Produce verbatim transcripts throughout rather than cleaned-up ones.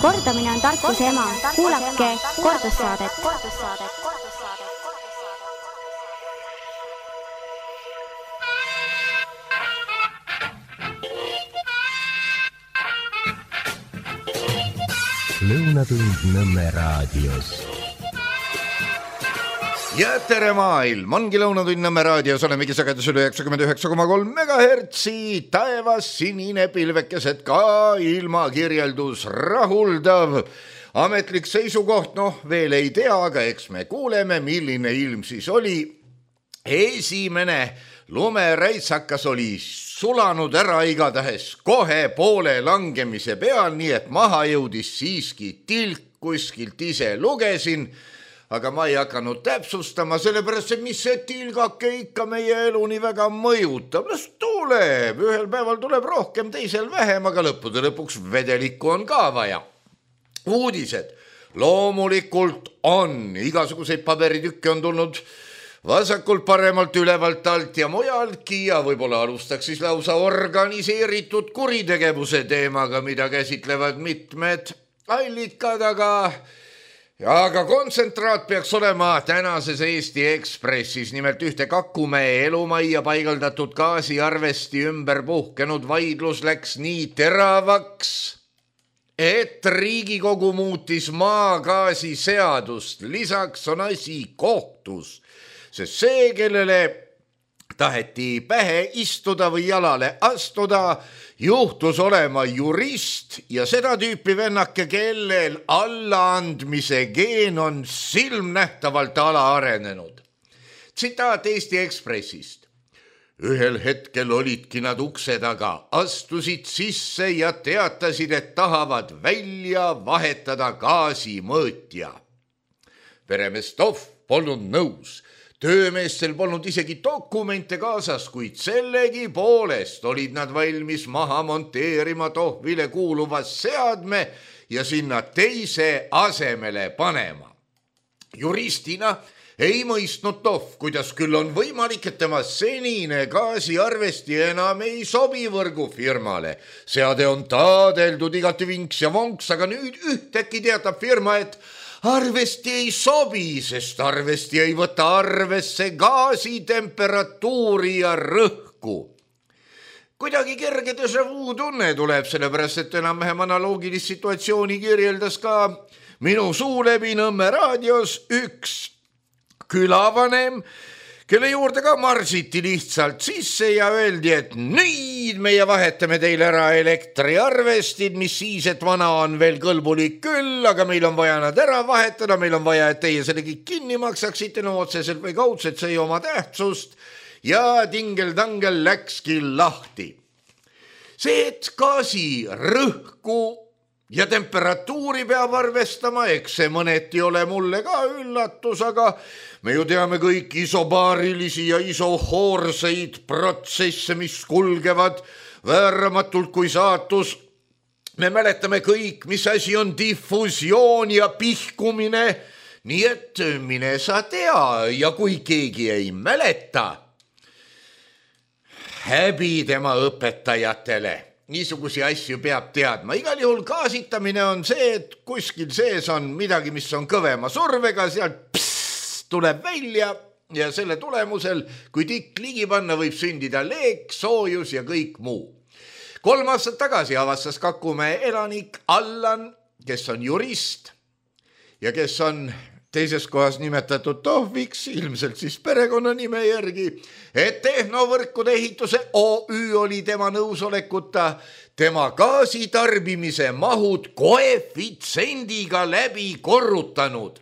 Kordamine on tarkuse ema. Kuulake kordussaadet. Lõunatund Nõmme raadios. Ja tere maailm, ongi Lõunatund Nõmme raadios, olemegi sagedusel üheksakümmend üheksa koma kolm megahertsi, taevas sinine pilvekesed ka ilmakirjeldus rahuldav. Ametlik seisukoht, noh veel ei tea, aga eks me kuuleme, milline ilm siis oli. Esimene lumeräitsakas oli sulanud ära igatahes kohe poole langemise peal, nii et maha jõudis siiski tilk, kuskilt ise lugesin, aga ma ei hakanud täpsustama, sellepärast, et mis see tilgake ikka meie elu nii väga mõjutab. Las tuleb, ühel päeval tuleb rohkem, teisel vähem, aga lõppude lõpuks vedelikku on ka vaja. Uudised. Loomulikult on, igasuguseid paberitükke on tulnud vasakult, paremalt, ülevalt, alt ja mujaltki ja võib-olla alustaks siis lausa organiseeritud kuritegevuse teemaga, mida käsitlevad mitmed allikad, aga, aga kontsentraat peaks olema tänases Eesti Ekspressis. Nimelt ühte Kakumäe elumajja paigaldatud gaasiarvesti ümber puhkenud vaidlus läks nii teravaks, et Riigikogu muutis maagaasi seadust. Lisaks on asi kohtus. Sest see, kellele taheti pähe istuda või jalale astuda, juhtus olema jurist ja seda tüüpi vennake, kellel allaandmise geen on silmnähtavalt alaarenenud. Tsitaat Eesti Ekspressist. Ühel hetkel olidki nad ukse taga, astusid sisse ja teatasid, et tahavad välja vahetada gaasimõõtja. Peremees Tohv polnud nõus. Töömeestel polnud isegi dokumente kaasas, kuid sellegi poolest olid nad valmis maha monteerima Tohvile kuuluva seadme ja sinna teise asemele panema. Juristina ei mõistnud Tohv, kuidas küll on võimalik, et tema senine gaasiarvesti enam ei sobi võrgufirmale. Seade on taadeldud igati vinks ja vonks, aga nüüd ühtäkki teatab firma, et arvesti ei sobi, sest arvesti ei võta arvesse gaasi temperatuuri ja rõhku. Kuidagi kerge déjà vu tunne tuleb, sellepärast, et enam-vähem analoogilist situatsiooni kirjeldas ka minu suu läbi Nõmme raadios üks külavanem, kelle juurde ka marsiti lihtsalt sisse ja öeldi, et nüüd meie vahetame teile ära elektriarvestid, mis siis, et vana on veel kõlbulik küll, aga meil on vaja nad ära vahetada, meil on vaja, et teie selle kõik kinni maksaksite, no otseselt või kaudselt, see ei oma tähtsust ja tingel-tangel läkski lahti. See, et gaasi rõhku ja temperatuuri peab arvestama, eks see mõneti ole mulle ka üllatus, aga me ju teame kõik isobaarilisi ja isohoorseid protsesse, mis kulgevad vääramatult kui saatus. Me mäletame kõik, mis asi on diffusioon ja pihkumine, nii et mine sa tea ja kui keegi ei mäleta, häbi tema õpetajatele. Niisugusi asju peab teadma. Igal juhul gaasitamine on see, et kuskil sees on midagi, mis on kõvema survega, sealt pss, tuleb välja ja selle tulemusel, kui tikk ligi panna, võib sündida leek, soojus ja kõik muu. Kolm aastat tagasi avastas Kakumäe elanik Allan, kes on jurist ja kes on teises kohas nimetatud Tohviks, ilmselt siis perekonnanime järgi, et tehnovõrkude ehituse O Ü oli tema nõusolekuta tema gaasitarbimise mahud koefitsendiga läbi korrutanud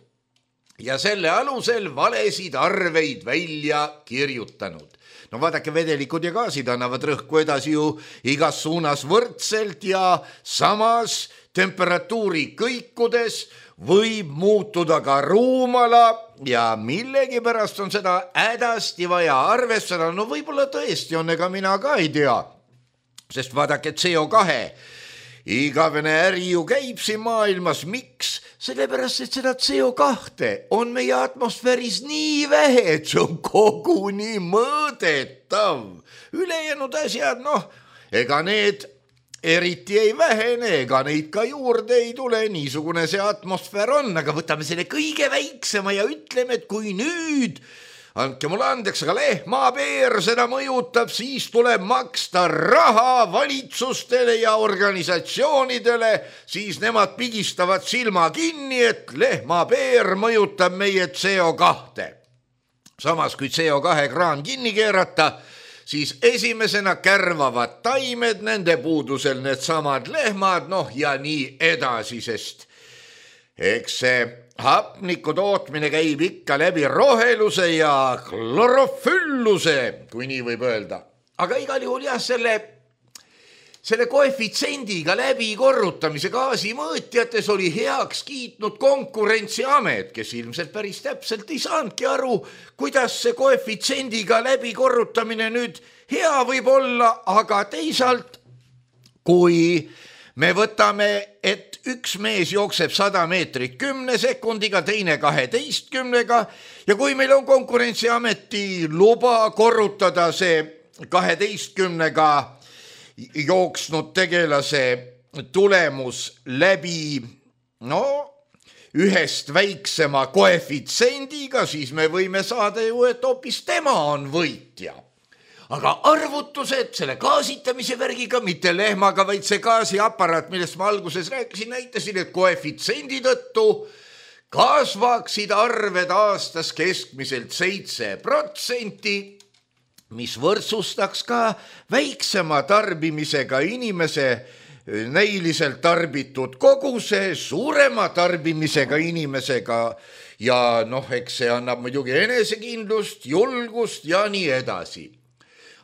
ja selle alusel valesid arveid välja kirjutanud. No vaadake, vedelikud ja gaasid annavad rõhku edasi ju igas suunas võrdselt ja samas temperatuuri kõikudes võib muutuda ka ruumala ja millegipärast on seda hädasti vaja arvestada. No võib-olla tõesti on, ega mina ka ei tea, sest vaadake C O kahe igavene äri ju käib siin maailmas. Miks? Sellepärast, et seda C O kahte on meie atmosfääris nii vähe, et see on koguni mõõdetav. Ülejäänud asjad, noh, ega need eriti ei vähene, ega neid ka juurde ei tule, niisugune see atmosfäär on, aga võtame selle kõige väiksema ja ütleme, et kui nüüd, andke mulle andeks, aga lehmapeer seda mõjutab, siis tuleb maksta raha valitsustele ja organisatsioonidele, siis nemad pigistavad silma kinni, et lehmapeer mõjutab meie C O kahte. Samas kui C O kahe kraan kinni keerata, siis esimesena kärvavad taimed, nende puudusel need samad lehmad, noh ja nii edasi, sest eks see hapniku tootmine käib ikka läbi roheluse ja klorofülluse, kui nii võib öelda. Aga igal juhul jah, selle, selle koefitsendiga läbi korrutamise gaasimõõtjates oli heaks kiitnud Konkurentsiamet, kes ilmselt päris täpselt ei saanudki aru, kuidas see koefitsendiga läbi korrutamine nüüd hea võib olla, aga teisalt, kui me võtame, et üks mees jookseb sada meetrit kümne sekundiga, teine kaheteistkümnega ja kui meil on Konkurentsiameti luba korrutada see kaheteistkümnega jooksnud tegelase tulemus läbi no, ühest väiksema koefitsendiga, siis me võime saada ju, et hoopis tema on võitja. Aga arvutused selle gaasitamise värgiga, mitte lehmaga, vaid see gaasiaparaat, millest ma alguses rääkisin, näitasin, et koefitsendi tõttu kasvaksid arved aastas keskmiselt seitse protsenti, mis võrdsustaks ka väiksema tarbimisega inimese näiliselt tarbitud koguse suurema tarbimisega inimesega ja noh, eks see annab muidugi enesekindlust, julgust ja nii edasi.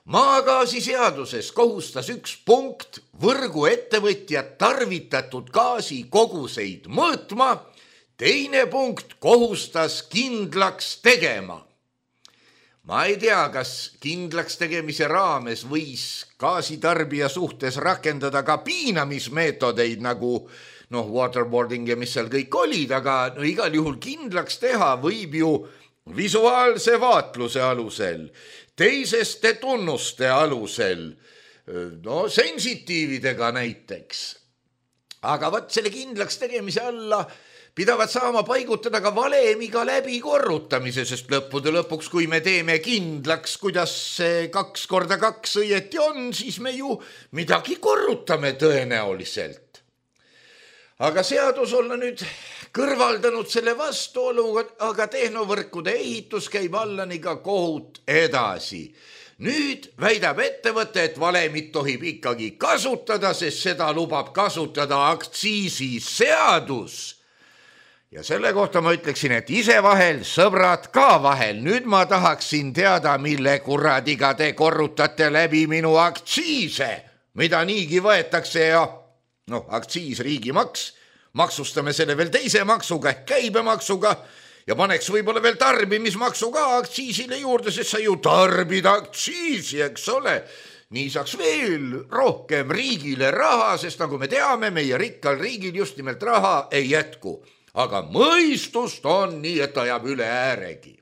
Maagaasi seaduses kohustas üks punkt võrgu ettevõtjad tarvitatud gaasi koguseid mõõtma, teine punkt kohustas kindlaks tegema. Ma ei tea, kas kindlaks tegemise raames võis gaasitarbija suhtes rakendada ka piinamismeetodeid nagu noh, waterboarding ja mis seal kõik olid, aga no, igal juhul kindlaks teha võib ju visuaalse vaatluse alusel, teiseste tunnuste alusel, no sensitiividega näiteks. Aga võt selle kindlaks tegemise alla pidavad saama paigutada ka valemiga läbi korrutamise, sest lõppude lõpuks, kui me teeme kindlaks, kuidas see kaks korda kaks õieti on, siis me ju midagi korrutame tõenäoliselt. Aga seadus olla nüüd kõrvaldanud selle vastuolu, aga tehnovõrkude ehitus käib allani ka kohut edasi. Nüüd väidab ettevõte, et valemit tohib ikkagi kasutada, sest seda lubab kasutada aktsiisiseadus. Ja selle kohta ma ütleksin, et ise vahel, sõbrad ka vahel. Nüüd ma tahaksin teada, mille kuradiga te korrutate läbi minu aktsiise, mida niigi võetakse ja noh, aktsiis riigimaks, maksustame selle veel teise maksuga, käibemaksuga ja paneks võib-olla veel tarbimismaksu ka aktsiisile juurde, sest sa ju tarbid aktsiisi, eks ole. Nii saaks veel rohkem riigile raha, sest nagu me teame, meie rikkal riigil just nimelt raha ei jätku. Aga mõistust on nii, et ta jääb üle ääregi.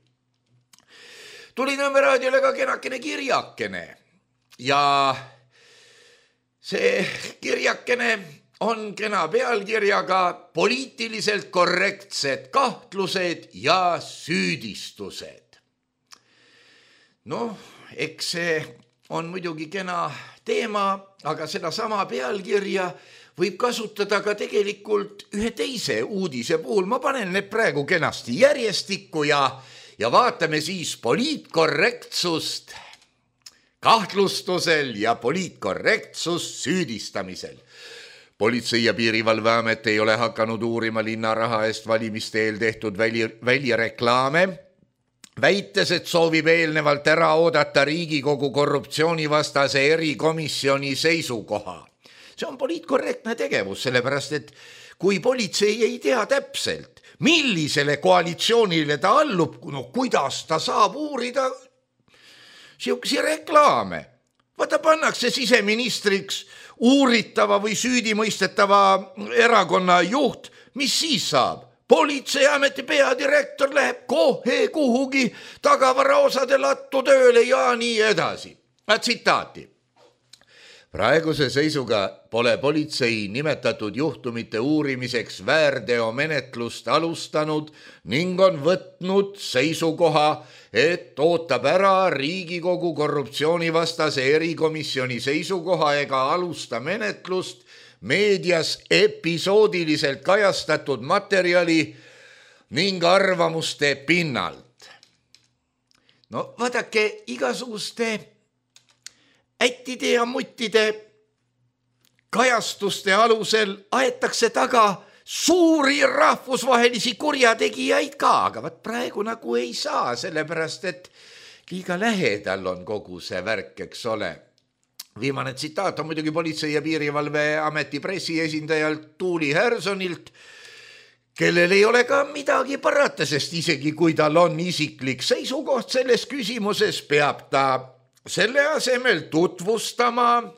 Tuli Nõmme raadiole ka kenakene kirjakene ja see kirjakene on kena pealkirjaga poliitiliselt korrektsed kahtlused ja süüdistused. Noh, eks see on muidugi kena teema, aga seda sama pealkirja võib kasutada ka tegelikult ühe teise uudise puhul. Ma panen need praegu kenasti järjestikku ja, ja vaatame siis poliitkorrektsust kahtlustusel ja poliitkorrektsust süüdistamisel. Politsei- ja piirivalveamet ei ole hakanud uurima linnaraha eest valimiste eel tehtud väli, välireklaame, väites, et soovib eelnevalt ära oodata Riigikogu korruptsioonivastase erikomisjoni seisukoha. See on poliitkorrektne tegevus, sellepärast, et kui politsei ei tea täpselt, millisele koalitsioonile ta allub, no kuidas ta saab uurida siukesi reklaame. Vaata, pannakse siseministriks uuritava või süüdimõistetava erakonna juht, mis siis saab? Politseiameti peadirektor läheb kohe kuhugi tagavaraosade lattu tööle ja nii edasi. Tsitaati. Praeguse seisuga pole politsei nimetatud juhtumite uurimiseks väärteomenetlust alustanud ning on võtnud seisukoha, et ootab ära Riigikogu korruptsioonivastase erikomisjoni seisukoha ega alusta menetlust meedias episoodiliselt kajastatud materjali ning arvamuste pinnalt. No vaadake, igasuguste ättide ja muttide kajastuste alusel aetakse taga suuri rahvusvahelisi kurjategijaid ka, aga võt praegu nagu ei saa, sellepärast et liiga lähedal on kogu see värk, eks ole. Viimane tsitaat on muidugi Politsei- ja Piirivalveameti pressiesindajalt Tuuli Härsonilt, kellel ei ole ka midagi parata, sest isegi kui tal on isiklik seisukoht selles küsimuses, peab ta selle asemel tutvustama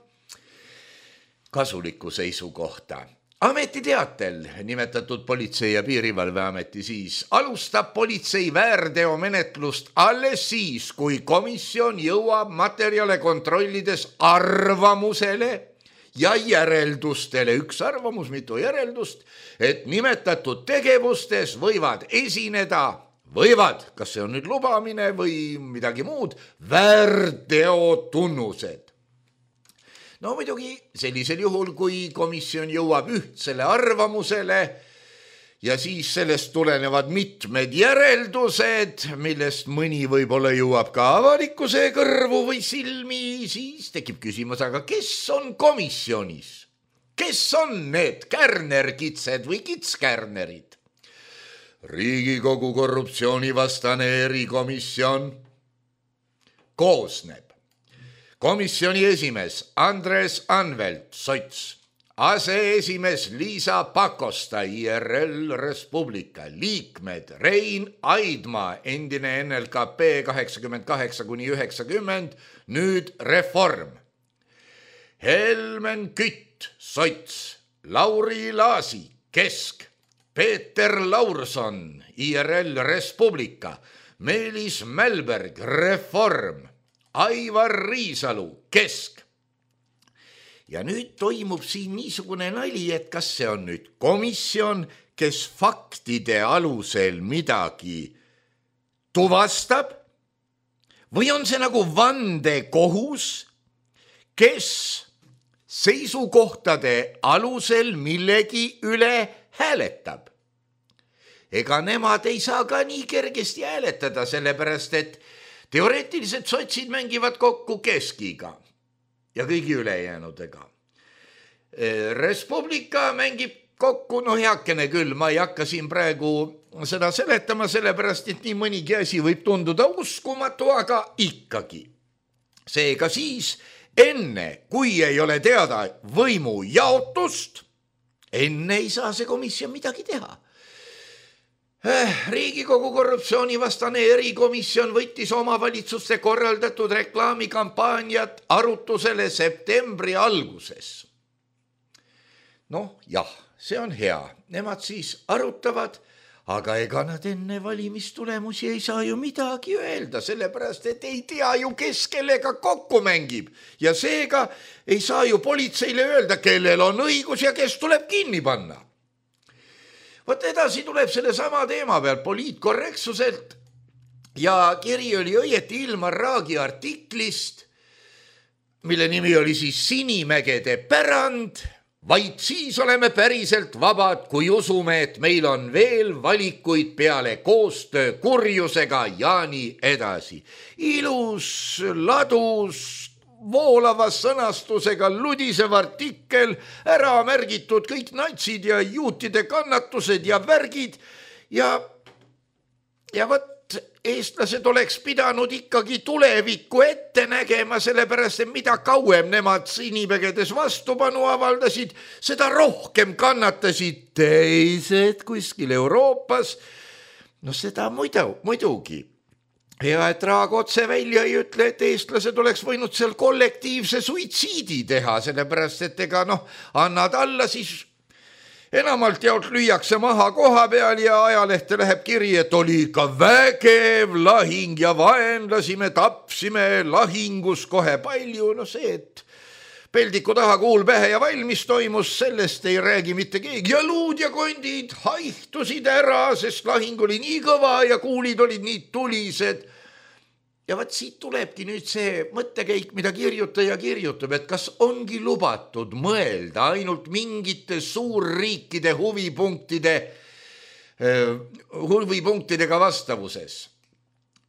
kasulikku seisukohta. Ametiteatel nimetatud Politsei- ja Piirivalveameti siis alustab politsei väärteomenetlust alles siis, kui komisjon jõuab materjale kontrollides arvamusele ja järeldustele. Üks arvamus, mitu järeldust, et nimetatud tegevustes võivad esineda Võivad, kas see on nüüd lubamine või midagi muud, väärteotunnused. No muidugi sellisel juhul, kui komisjon jõuab ühtsele arvamusele ja siis sellest tulenevad mitmed järeldused, millest mõni võib-olla jõuab ka avalikkuse kõrvu või silmi, siis tekib küsimus, aga kes on komisjonis? Kes on need kärnerkitsed või kitskärnerid? Riigikogu korruptsioonivastane erikomisjon koosneb komisjoni esimees Andres Anvelt, sots, aseesimees Liisa Pakosta, I R L Respublika, liikmed Rein Aidma, endine N L K P kaheksakümmend kaheksa kuni üheksakümmend, nüüd Reform, Helmen Kütt, sots, Lauri Laasi, Kesk, Peeter Laurson, I R L Respublika, Meelis Mälberg, Reform, Aivar Riisalu, Kesk. Ja nüüd toimub siin niisugune nali, et kas see on nüüd komisjon, kes faktide alusel midagi tuvastab, või on see nagu vandekohus, kes seisukohtade alusel millegi üle hääletab. Ega nemad ei saa ka nii kergesti hääletada, sellepärast et teoreetiliselt sotsid mängivad kokku Keskiga ja kõigi ülejäänudega. Respublika mängib kokku, no heakene küll, ma ei hakka siin praegu seda seletama, sellepärast et nii mõnigi asi võib tunduda uskumatu, aga ikkagi. Seega siis, enne kui ei ole teada võimu jaotust, enne ei saa see komisjon midagi teha. Riigikogu korruptsioonivastane erikomisjon võttis omavalitsuste korraldatud reklaamikampaaniat arutusele septembri alguses. Noh, jah, see on hea. Nemad siis arutavad, aga ega nad enne valimistulemusi ei saa ju midagi öelda, sellepärast et ei tea ju, kes kellega kokku mängib. Ja seega ei saa ju politseile öelda, kellel on õigus ja kes tuleb kinni panna. Võt edasi tuleb selle sama teema peal poliitkorrektsuselt ja kiri oli õieti Ilmar Raagi artiklist, mille nimi oli siis Sinimägede pärand. Vaid siis oleme päriselt vabad, kui usume, et meil on veel valikuid peale koostöö kurjusega ja nii edasi. Ilus, ladus, voolava sõnastusega ludisev artikkel, ära märgitud kõik natsid ja juutide kannatused ja värgid ja, ja võt, eestlased oleks pidanud ikkagi tulevikku ette nägema, sellepärast et mida kauem nemad Sinimägedes vastupanu avaldasid, seda rohkem kannatasid teised kuskil Euroopas. No seda muidu, muidugi. Hea, et Raag otse välja ei ütle, et eestlased oleks võinud seal kollektiivse suitsiidi teha, sellepärast et ega noh, annad alla, siis enamalt jaolt lüüakse maha koha peal ja ajalehte läheb kiri, et oli ikka vägev lahing ja vaenlasi me tapsime lahingus kohe palju. No see, et peldiku taha kuul pähe ja valmis toimus, sellest ei räägi mitte keegi ja luud ja kondid haihtusid ära, sest lahing oli nii kõva ja kuulid olid nii tulised. Ja vaat siit tulebki nüüd see mõttekäik, mida kirjutaja kirjutab, et kas ongi lubatud mõelda ainult mingite suurriikide huvipunktide, huvipunktidega vastavuses.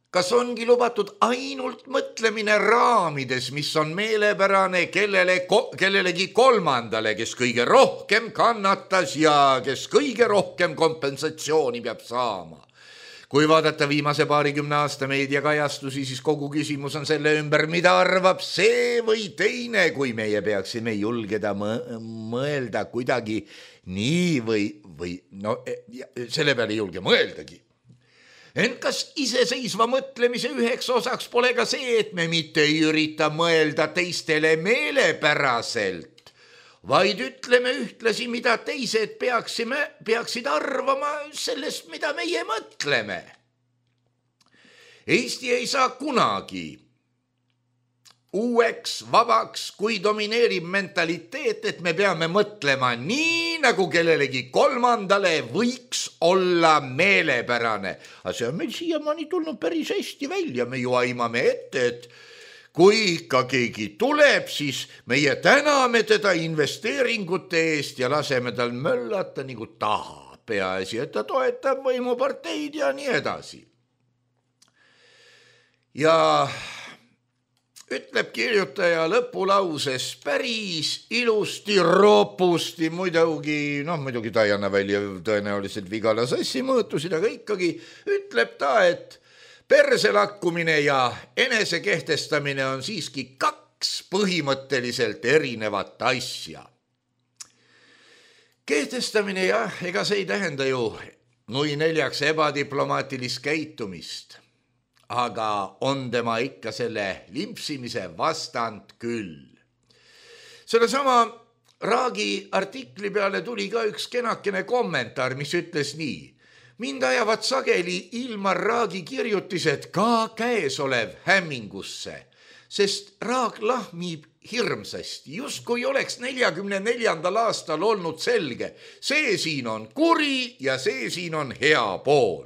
Kas ongi lubatud ainult mõtlemine raamides, mis on meelepärane kellele, kellelegi kolmandale, kes kõige rohkem kannatas ja kes kõige rohkem kompensatsiooni peab saama? Kui vaadata viimase paarikümne aasta meediakajastusi, siis kogu küsimus on selle ümber, mida arvab see või teine, kui meie peaksime julgeda mõelda kuidagi nii või, või no, selle peale ei julge mõeldagi. Ent kas iseseisva mõtlemise üheks osaks pole ka see, et me mitte ei ürita mõelda teistele meelepäraselt, vaid ütleme ühtlasi, mida teised peaksime, peaksid arvama sellest, mida meie mõtleme. Eesti ei saa kunagi uueks, vabaks, kui domineerib mentaliteet, et me peame mõtlema nii, nagu kellelegi kolmandale võiks olla meelepärane. Aga see on meil siiamaani tulnud päris hästi välja, me ju aimame ette, et kui ikka keegi tuleb, siis meie täname teda investeeringute eest ja laseme tal möllata nagu taha. Peaasi, et ta toetab võimuparteid ja nii edasi. Ja ütleb kirjutaja lõpulauses päris ilusti, roopusti, muidugi, noh, muidugi ta ei anna välja tõenäoliselt Vigala sassi mõõtusid, aga ikkagi ütleb ta, et perselakkumine ja enesekehtestamine on siiski kaks põhimõtteliselt erinevat asja. Kehtestamine jah, ega see ei tähenda ju nui neljaks ebadiplomaatilist käitumist, aga on tema ikka selle limpsimise vastand küll. Selle sama Raagi artikli peale tuli ka üks kenakene kommentaar, mis ütles nii. Mind ajavad sageli Ilmar Raagi kirjutised ka käesolev hämmingusse, sest Raag lahmib hirmsasti, just kui oleks neljakümne neljandal aastal olnud selge. See siin on kuri ja see siin on hea pool.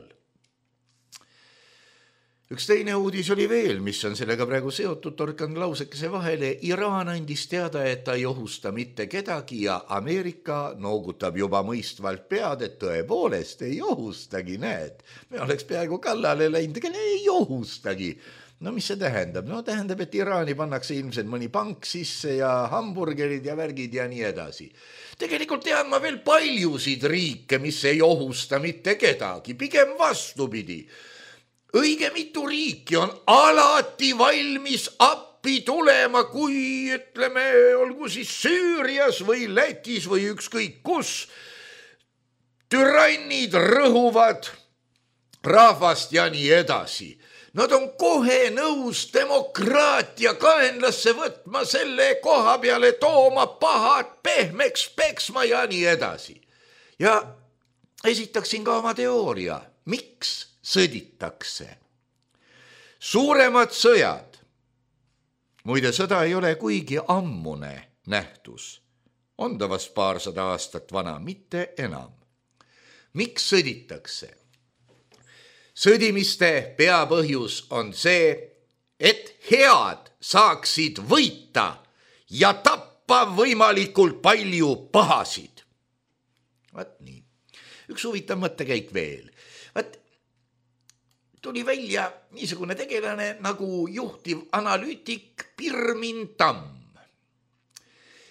Üks teine uudis oli veel, mis on sellega praegu seotud, torkan lausekese vahele. Iraan andis teada, et ta ei ohusta mitte kedagi ja Ameerika noogutab juba mõistvalt pead, et tõepoolest ei ohustagi, näed. Me oleks peaaegu kallale läinud, ega ei ohustagi. No mis see tähendab? No tähendab, et Iraani pannakse ilmselt mõni pank sisse ja hamburgerid ja värgid ja nii edasi. Tegelikult tean ma veel paljusid riike, mis ei ohusta mitte kedagi, pigem vastupidi. Õige mitu riiki on alati valmis appi tulema, kui ütleme, olgu siis Süürias või Lätis või ükskõik kus. Türannid rõhuvad rahvast ja nii edasi. Nad on kohe nõus demokraatia kaenlasse võtma, selle koha peale tooma pahad pehmeks peksma ja nii edasi. Ja esitaksin ka oma teooria, miks sõditakse. Suuremad sõjad, muide sõda ei ole kuigi ammune nähtus, on ta vast paarsada aastat vana, mitte enam. Miks sõditakse? Sõdimiste peapõhjus on see, et head saaksid võita ja tappa võimalikult palju pahasid. Vaat nii. Üks huvitav mõttekäik veel. Vaat tuli välja niisugune tegelane nagu juhtiv analüütik Pirmin Tamm.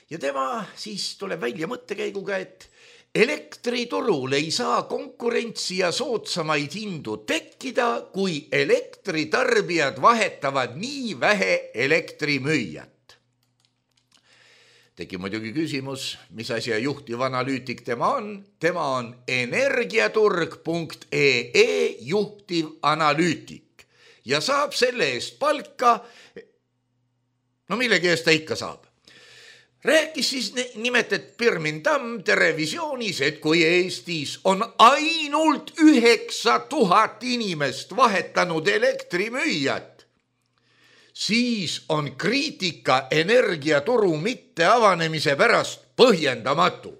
Ja tema siis tuleb välja mõttekäiguga, et elektriturul ei saa konkurentsi ja soodsamaid hindu tekkida, kui elektritarbijad vahetavad nii vähe elektrimüüjat. Tegi muidugi küsimus, mis asja juhtiv analüütik tema on. Tema on energiaturg punkt ee juhtiv analüütik ja saab selle eest palka, no millegi eest ta ikka saab. Rääkis siis nimetet Pirmin Tamm televisioonis, et kui Eestis on ainult üheksa tuhat inimest vahetanud elektrimüüjat, siis on kriitika energiaturu mitte avanemise pärast põhjendamatu.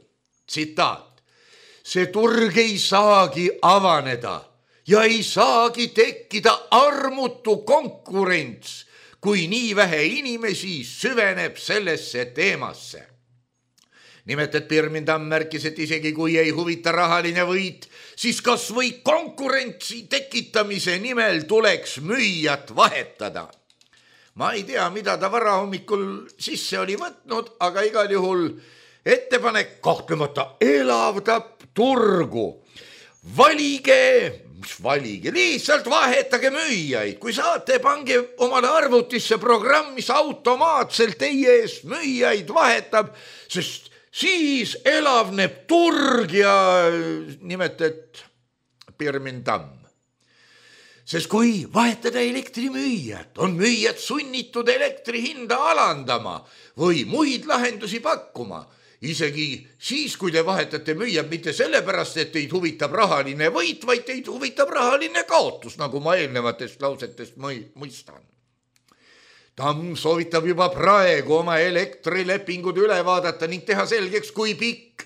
Tsitaat. See turg ei saagi avaneda ja ei saagi tekkida armutu konkurents, kui nii vähe inimesi süveneb sellesse teemasse. Nimelt, et Pirmin Tamm märkis, et isegi kui ei huvita rahaline võit, siis kas või konkurentsi tekitamise nimel tuleks müüjat vahetada. Ma ei tea, mida ta varahommikul sisse oli võtnud, aga igal juhul ettepanek kahtlemata elavdab turgu. Valige, mis valige, lihtsalt vahetage müüjaid. Kui saate, pange omale arvutisse programm, mis automaatselt teie ees müüjaid vahetab, sest siis elavneb turg ja nimelt, et Pirmin Tamm. Sest kui vahetada elektrimüüjad, on müüjad sunnitud elektri hinda alandama või muid lahendusi pakkuma. Isegi siis, kui te vahetate müüjad mitte sellepärast, et teid huvitab rahaline võit, vaid teid huvitab rahaline kaotus, nagu ma eelnevatest lausetest mõistan. Tamm soovitab juba praegu oma elektrilepingud üle vaadata ning teha selgeks, kui pikk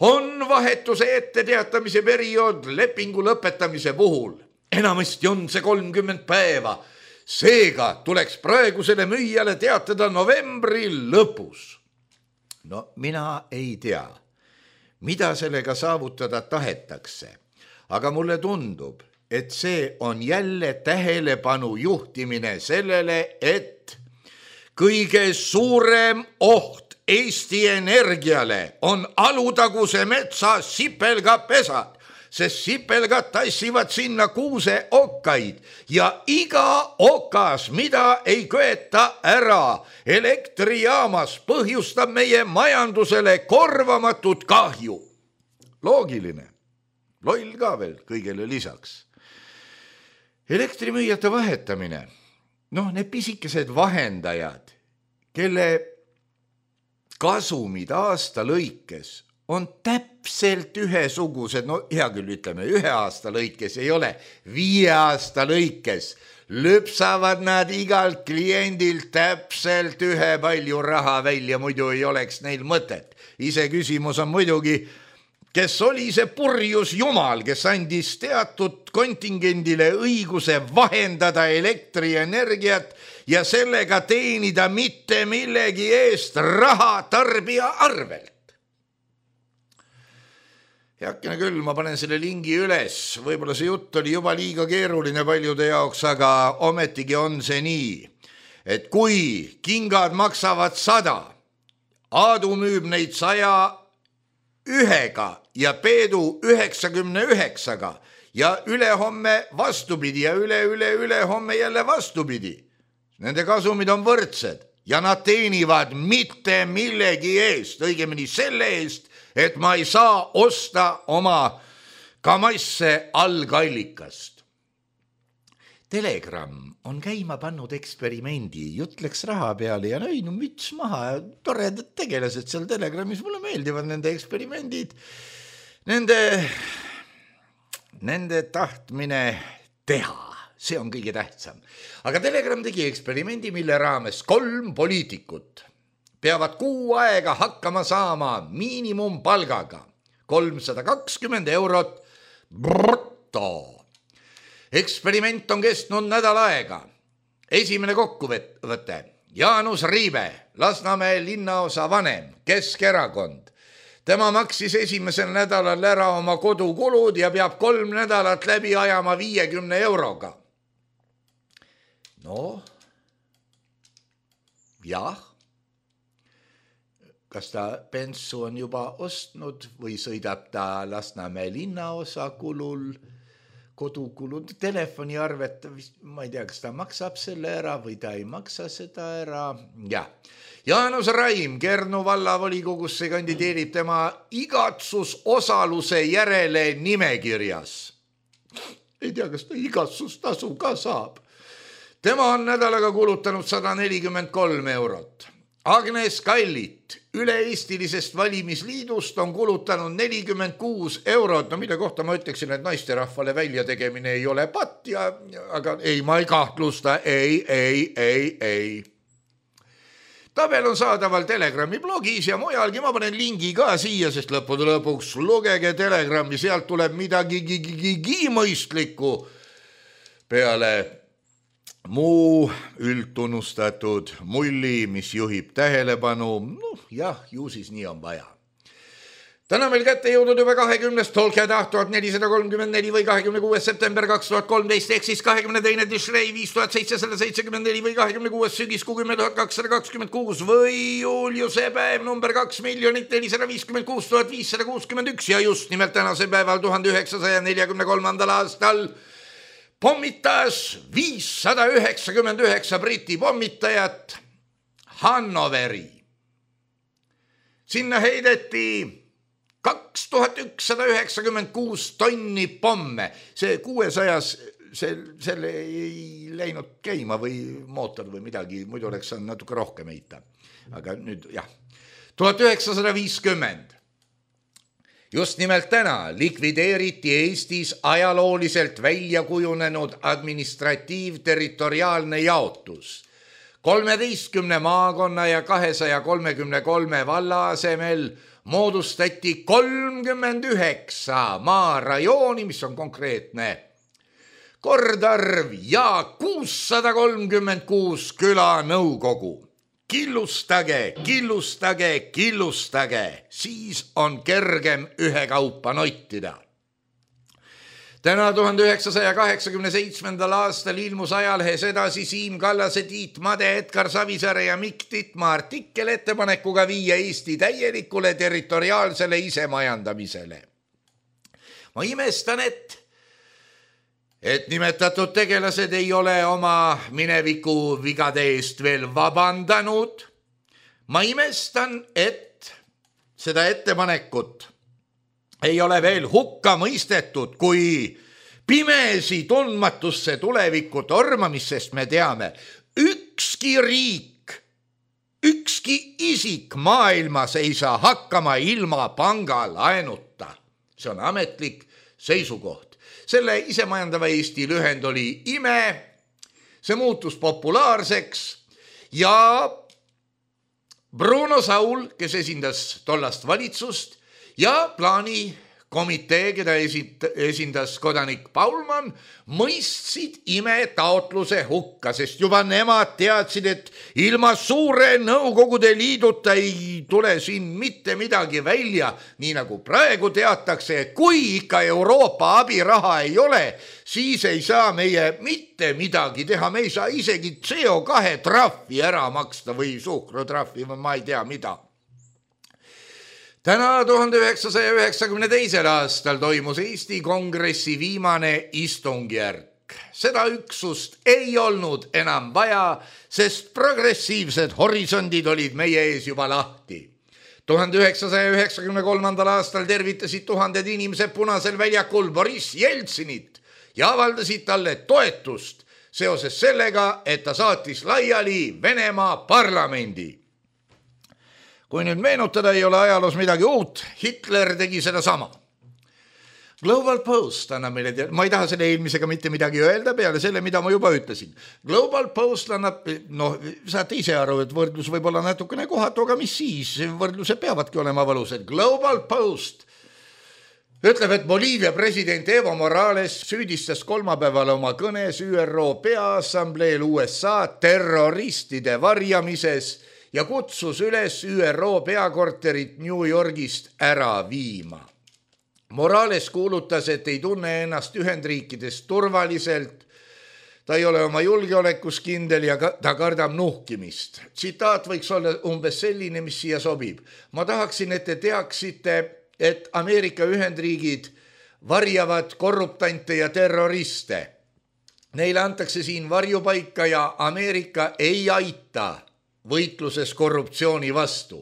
on vahetuse ette teatamise periood lepingu lõpetamise puhul. Enamasti on see kolmkümmend päeva. Seega tuleks praegusele müüjale teatada novembri lõpus. No mina ei tea, mida sellega saavutada tahetakse, aga mulle tundub, et see on jälle tähelepanu juhtimine sellele, et kõige suurem oht Eesti Energiale on Alutaguse metsa sipelgapesad, sest sipelgad tassivad sinna kuuse okkaid ja iga okas, mida ei köeta ära elektrijaamas, põhjustab meie majandusele korvamatut kahju. Loogiline, loll ka veel kõigele lisaks. Elektrimüüjate vahetamine, noh, need pisikesed vahendajad, kelle kasumid aasta lõikes on täpselt ühesugused, no hea küll ütleme, ühe aasta lõikes ei ole, viie aasta lõikes lüpsavad nad igalt kliendilt täpselt ühe palju raha välja, muidu ei oleks neil mõtet. Ise küsimus on muidugi, kes oli see purjus jumal, kes andis teatud kontingendile õiguse vahendada elektrienergiat ja sellega teenida mitte millegi eest raha tarbija arvelt. Heakene küll, ma panen selle lingi üles, võib-olla see jutt oli juba liiga keeruline paljude jaoks, aga ometigi on see nii, et kui kingad maksavad sada, Aadu müüb neid saja ühega ja Peedu üheksakümne üheksaga ja ülehomme vastupidi ja üle, üle, üle homme jälle vastupidi. Nende kasumid on võrdsed ja nad teenivad mitte millegi eest, õigemini selle eest, et ma ei saa osta oma kamasse algallikast. Telegram on käima pannud eksperimendi, jutt läks raha peale ja ei, no müts maha, toredad tegelased seal Telegramis, mulle meeldivad nende eksperimendid, nende, nende tahtmine teha, see on kõige tähtsam. Aga Telegram tegi eksperimendi, mille raames kolm poliitikut peavad kuu aega hakkama saama miinimumpalgaga kolmsada kakskümmend eurot bruto. Eksperiment on kestnud nädal aega. Esimene kokkuvõte. Jaanus Riibe, Lasnamäe linnaosa vanem, Keskerakond. Tema maksis esimesel nädalal ära oma kodukulud ja peab kolm nädalat läbi ajama viiekümne euroga. No, jah. Kas ta bensu on juba ostnud või sõidab ta Lasnamäe linnaosa kulul, kodukulud, telefoniarvet, ma ei tea, kas ta maksab selle ära või ta ei maksa seda ära. Ja. Jaanus Raim Kernu vallavolikogusse kandideerib tema igatsusosaluse järele nimekirjas. Ei tea, kas ta igatsustasu ka saab. Tema on nädalaga kulutanud sada nelikümmend kolm eurot. Agnes Kallit üle-eestilisest valimisliidust on kulutanud nelikümmend kuus eurot, no mille kohta ma ütleksin, et naisterahvale välja tegemine ei ole patt, ja, aga ei, ma ei kahtlusta, ei, ei, ei, ei. Tabel on saadaval Telegrami blogis ja mujalgi, ma panen lingi ka siia, sest lõppude lõpuks lugege Telegrami, sealt tuleb midagi mõistlikku peale muu üldtunnustatud mulli, mis juhib tähelepanu. Noh, jah, ju siis nii on vaja. Täna meil kätte jõudnud juba kahekümnest tolkedah tuhat nelisada kolmkümmend neli või kahekümne kuues september kaks tuhat kolmteist ehk siis kahekümne teine Tishrei viis tuhat seitsesada seitsekümmend neli või kahekümne kuues sügiskuu kümme tuhat kakssada kakskümmend kuus või juuliuse päev number kaks miljonit nelisada viiskümmend kuus tuhat viissada kuuskümmend üks ja just nimelt tänase päeval tuhande üheksasaja neljakümne kolmandal aastal pommitas viissada üheksakümmend üheksa Briti pommitajat Hannoveri. Sinna heideti kaks tuhat ükssada üheksakümmend kuus tonni pomme. See kuuesajas, see, selle ei läinud käima või mootor või midagi, muidu oleks saanud natuke rohkem heita. Aga nüüd, jah, tuhat üheksasada viiskümmend. Just nimelt täna likvideeriti Eestis ajalooliselt välja kujunenud administratiivterritoriaalne jaotus. kolmeteistkümne maakonna ja kahesaja kolmekümne kolme valla asemel moodustati kolmkümmend üheksa maarajooni, mis on konkreetne kordarv ja kuussada kolmkümmend kuus külanõukogu. Killustage, killustage, killustage, siis on kergem ühekaupa nottida. Täna tuhande üheksasaja kaheksakümne seitsmendal aastal ilmus ajalehes edasi Siim Kallase, Tiit Made, Edgar Savisaare ja Mikk Titma artikkel ettepanekuga viia Eesti täielikule territoriaalsele isemajandamisele. Ma imestan, et et nimetatud tegelased ei ole oma mineviku vigade eest veel vabandanud. Ma imestan, et seda ettepanekut ei ole veel hukka mõistetud, kui pimesi tundmatusse tulevikku tormamist, sest me teame, ükski riik, ükski isik maailmas ei saa hakkama ilma pangalaenuta. See on ametlik seisukoht. Selle isemajandava Eesti lühend oli I M E, see muutus populaarseks ja Bruno Saul, kes esindas tollast valitsust ja plaani komitee, keda esindas kodanik Paulman, mõistsid I M E taotluse hukka, sest juba nemad teadsid, et ilma suure Nõukogude Liiduta ei tule siin mitte midagi välja, nii nagu praegu teatakse, et kui ikka Euroopa abiraha ei ole, siis ei saa meie mitte midagi teha, me ei saa isegi C O kahe trahvi ära maksta või suhkrutrahvi või ma ei tea mida. Täna tuhande üheksasaja üheksakümne teisel aastal toimus Eesti Kongressi viimane istungjärk. Seda üksust ei olnud enam vaja, sest progressiivsed horisondid olid meie ees juba lahti. tuhande üheksasaja üheksakümne kolmandal aastal tervitasid tuhanded inimesed Punasel väljakul Boris Jeltsinit ja avaldasid talle toetust seoses sellega, et ta saatis laiali Venemaa parlamendi. Kui nüüd meenutada, ei ole ajaloos midagi uut, Hitler tegi seda sama. Global Post annab meile, ma ei taha selle eelmisega mitte midagi öelda peale selle, mida ma juba ütlesin. Global Post annab, noh, saate ise aru, et võrdlus võib olla natukene kohatu, aga mis siis, võrdluse peavadki olema valused. Global Post ütleb, et Boliivia president Evo Morales süüdistas kolmapäeval oma kõnes Ü R O Peaassambleel U S A terroristide varjamises ja kutsus üles Ü R O peakorterit New Yorgist ära viima. Morales kuulutas, et ei tunne ennast Ühendriikides turvaliselt, ta ei ole oma julgeolekus kindel ja ta kardab nuhkimist. Tsitaat võiks olla umbes selline, mis siia sobib. Ma tahaksin, et te teaksite, et Ameerika Ühendriigid varjavad korruptante ja terroriste. Neile antakse siin varjupaika ja Ameerika ei aita võitluses korruptsiooni vastu.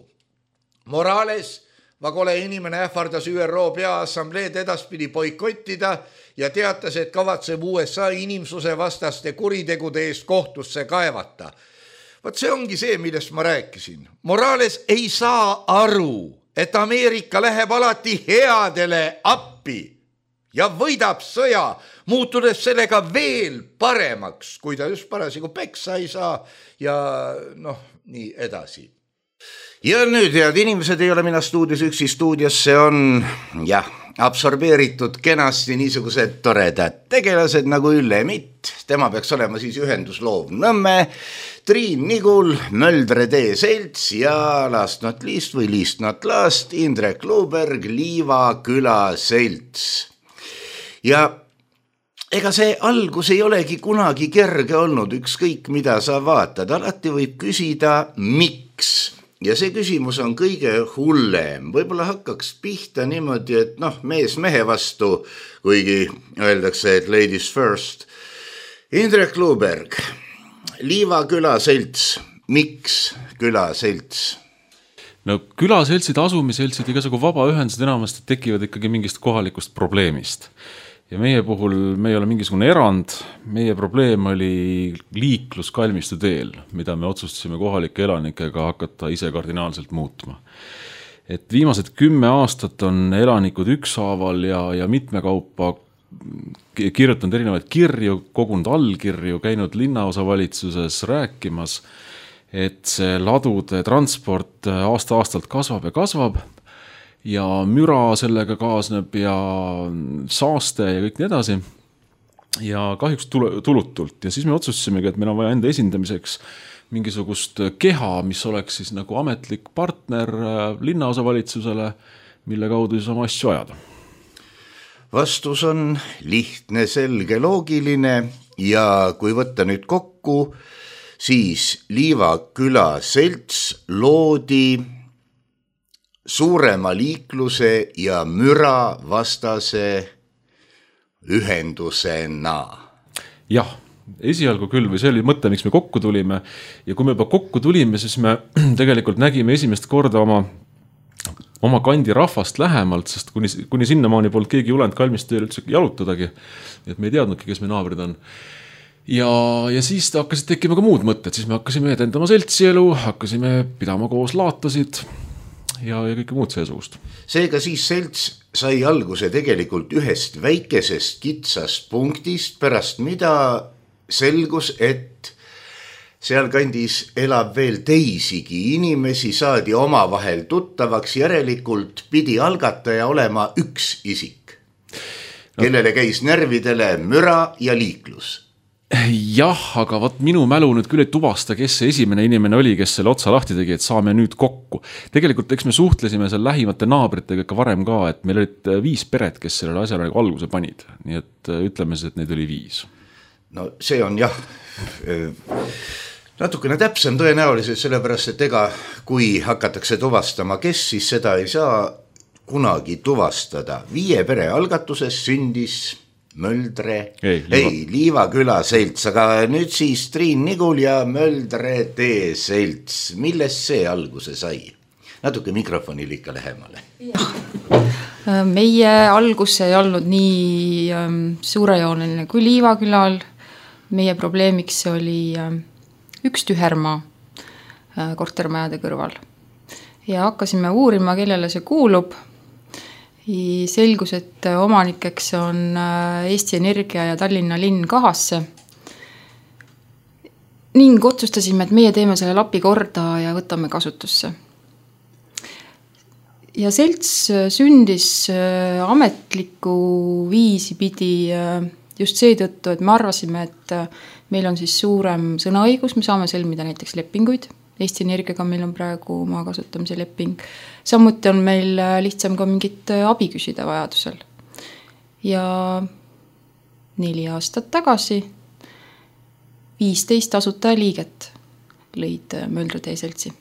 Morales, vagole inimene, ähvardas Ü R O Peaassambleed edaspidi boikottida ja teatas, et kavatseb U S A inimsuse vastaste kuritegude eest kohtusse kaevata. Vaat see ongi see, millest ma rääkisin. Morales ei saa aru, et Ameerika läheb alati headele appi ja võidab sõja, muutudes sellega veel paremaks, kui ta just parasigu peksa ei saa ja noh, nii edasi. Ja nüüd, head inimesed, ei ole mina stuudios üksi, stuudiosse on jah, absorbeeritud kenasti niisugused toredad tegelased nagu Ülle Mitt, tema peaks olema siis ühendusloov Nõmme, Triin Nigul, Möldre tee selts ja last not least või least not last, Indrek Luuberg, Liiva küla selts. Ja ega see algus ei olegi kunagi kerge olnud, ükskõik mida sa vaatad, alati võib küsida, miks? Ja see küsimus on kõige hullem. Võib-olla hakkaks pihta niimoodi, et noh, mees mehe vastu, kuigi öeldakse, et ladies first. Indrek Luuberg, Liiva küla selts, miks küla selts? No külaseltsid, asumiseltsid, igasugu vabaühendused enamasti tekivad ikkagi mingist kohalikust probleemist. Ja meie puhul me ei ole mingisugune erand, meie probleem oli liiklus Kalmistu teel, mida me otsustasime kohalike elanikega hakata ise kardinaalselt muutma. Et viimased kümme aastat on elanikud ükshaaval ja, ja mitmekaupa kirjutanud erinevaid kirju, kogunud allkirju, käinud linnaosavalitsuses rääkimas, et see ladude transport aasta-aastalt kasvab ja kasvab, ja müra sellega kaasneb ja saaste ja kõik nii edasi. Ja kahjuks tulutult. Ja siis me otsustasimegi, et meil on vaja enda esindamiseks mingisugust keha, mis oleks siis nagu ametlik partner linnaosavalitsusele, mille kaudu siis oma asju ajada. Vastus on lihtne, selge, loogiline ja kui võtta nüüd kokku, siis Liiva küla selts loodi suurema liikluse ja müra vastase ühendusena. Jah, esialgu küll, või see oli mõte, miks me kokku tulime. Ja kui me juba kokku tulime, siis me tegelikult nägime esimest korda oma, oma kandi rahvast lähemalt, sest kuni, kuni sinnamaani polnud keegi julenud Kalmisteel üldse jalutadagi. Et me ei teadnudki, kes me naabrid on. Ja, ja siis hakkasid tekkima ka muud mõtted. Siis me hakkasime edendama seltsielu, hakkasime pidama koos laatasid ja, ja kõike muud seesugust. Seega siis selts sai alguse tegelikult ühest väikesest kitsast punktist, pärast mida selgus, et seal kandis elab veel teisigi inimesi, saadi oma vahel tuttavaks, järelikult pidi algataja olema üks isik, kellele käis närvidele müra ja liiklus. Jah, aga vaat minu mälu nüüd küll ei tuvasta, kes see esimene inimene oli, kes selle otsa lahti tegi, et saame nüüd kokku. Tegelikult eks me suhtlesime seal lähimate naabritega ikka varem ka, et meil olid viis peret, kes sellele asjale alguse panid. Nii et ütleme, et neid oli viis. No see on jah natukene täpsem tõenäoliselt, sellepärast, et ega kui hakatakse tuvastama, kes siis seda ei saa kunagi tuvastada. Viie pere algatuses sündis Möldre, ei, Liiva. ei, Liiva küla selts, aga nüüd siis Triin Nigul ja Möldre tee selts. Millest see alguse sai? Natuke mikrofonil ikka lähemale. Meie algus ei olnud nii suurejooneline kui Liiva külal. Meie probleemiks oli üks tühermaa kortermajade kõrval. Ja hakkasime uurima, kellele see kuulub. Selgus, et omanikeks on Eesti Energia ja Tallinna linn kahasse. Ning otsustasime, et meie teeme selle lapi korda ja võtame kasutusse. Ja selts sündis ametliku viisi pidi just seetõttu, et me arvasime, et meil on siis suurem sõnaõigus, me saame sõlmida näiteks lepinguid. Eesti Energiaga meil on praegu maa kasutamise leping. Samuti on meil lihtsam ka mingit abi küsida vajadusel. Ja neli aastat tagasi viisteist asutaja liiget lõid Möldre tee seltsi.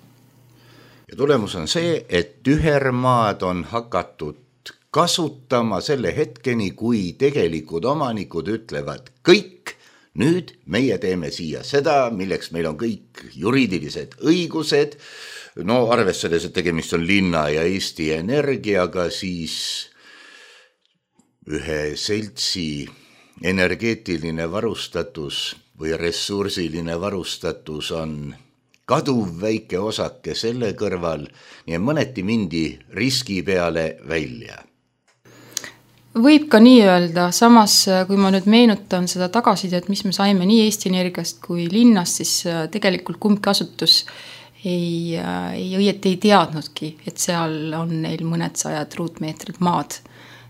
Ja tulemus on see, et tühermaad on hakatud kasutama selle hetkeni, kui tegelikud omanikud ütlevad kõik, nüüd meie teeme siia seda, milleks meil on kõik juriidilised õigused, no arvestades, et tegemist on linna ja Eesti Energiaga, siis ühe seltsi energeetiline varustatus või ressursiline varustatus on kaduv väike osake selle kõrval, nii mõneti mindi riski peale välja. Võib ka nii öelda, samas kui ma nüüd meenutan seda tagasisidet, mis me saime nii Eesti Energiast kui linnast, siis tegelikult kumbki asutus ei, ei õieti ei teadnudki, et seal on neil mõned sajad ruutmeetrid maad.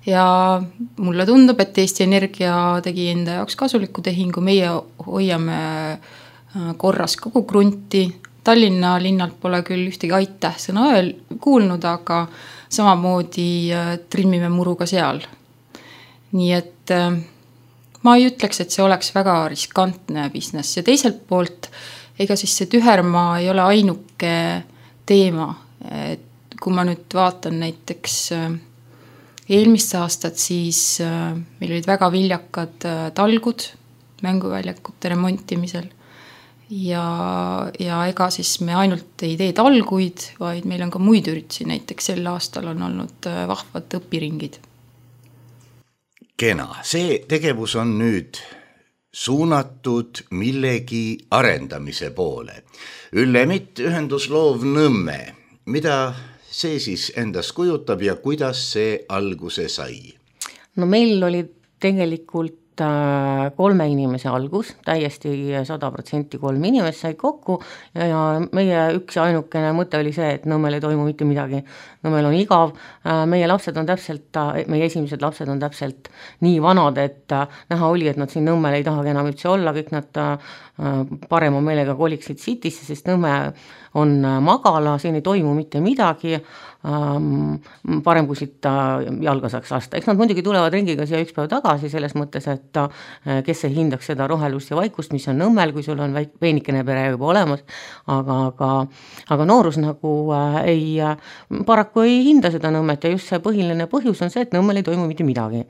Ja mulle tundub, et Eesti Energia tegi enda jaoks kasuliku tehingu, meie hoiame korras kogu krunti. Tallinna linnalt pole küll ühtegi aitäh sõna öel kuulnud, aga samamoodi trimmime muru ka seal. Nii et ma ei ütleks, et see oleks väga riskantne business ja teiselt poolt, ega siis see tühermaa ei ole ainuke teema. Et kui ma nüüd vaatan näiteks eelmist aastat, siis meil olid väga viljakad talgud mänguväljakute remontimisel ja, ja ega siis me ainult ei tee talguid, vaid meil on ka muid üritusi, näiteks sel aastal on olnud vahvad õpiringid. Kena, see tegevus on nüüd suunatud millegi arendamise poole. Üllemit ühendusloov Nõmme, mida see siis endast kujutab ja kuidas see alguse sai? No meil oli tegelikult kolme inimese algus, täiesti sada protsenti kolm inimest sai kokku ja meie üks ja ainukene mõte oli see, et Nõmmel ei toimu mitte midagi. Nõmmel on igav, meie lapsed on täpselt, meie esimesed lapsed on täpselt nii vanad, et näha oli, et nad siin Nõmmel ei tahagi enam üldse olla, kõik nad parema meelega koliksid Citysse, sest Nõmme on magala, siin ei toimu mitte midagi, parem kui siit jalga saaks lasta. Eks nad muidugi tulevad ringiga siia üks päev tagasi selles mõttes, et kes ei hindaks seda rohelust ja vaikust, mis on Nõmmel, kui sul on peenikene pere juba olemas, aga, aga, aga noorus nagu ei, paraku ei hinda seda Nõmmet ja just see põhiline põhjus on see, et Nõmmel ei toimu mitte midagi.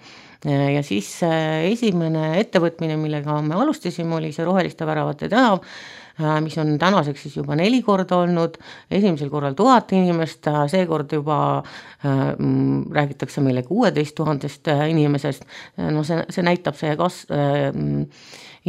Ja siis esimene ettevõtmine, millega me alustasime, oli see roheliste väravate tänav, mis on tänaseks siis juba neli korda olnud, esimesel korral tuhat inimest, seekord juba äh, räägitakse meile kuueteist tuhandest inimesest, no see, see näitab see kas, äh,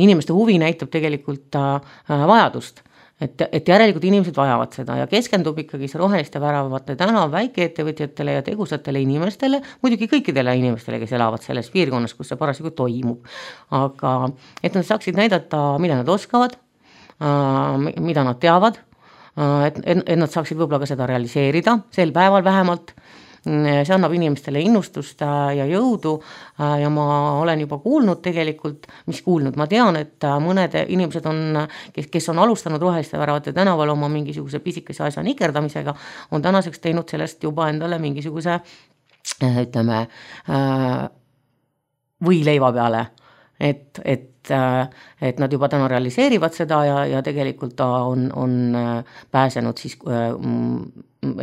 inimeste huvi näitab tegelikult äh, vajadust. Et, et järelikult inimesed vajavad seda ja keskendub ikkagi see roheliste väravate tänav väikeettevõtjatele ja tegusatele inimestele, muidugi kõikidele inimestele, kes elavad selles piirkonnas, kus see parasjagu toimub. Aga et nad saaksid näidata, mida nad oskavad, mida nad teavad, et, et nad saaksid võib-olla ka seda realiseerida, sel päeval vähemalt. See annab inimestele innustust ja jõudu ja ma olen juba kuulnud tegelikult, mis kuulnud, ma tean, et mõned inimesed on, kes, kes on alustanud roheliste väravate tänaval oma mingisuguse pisikese asja nikerdamisega, on tänaseks teinud sellest juba endale mingisuguse, ütleme, või leiva peale, et, et, et nad juba täna realiseerivad seda ja, ja tegelikult ta on, on pääsenud siis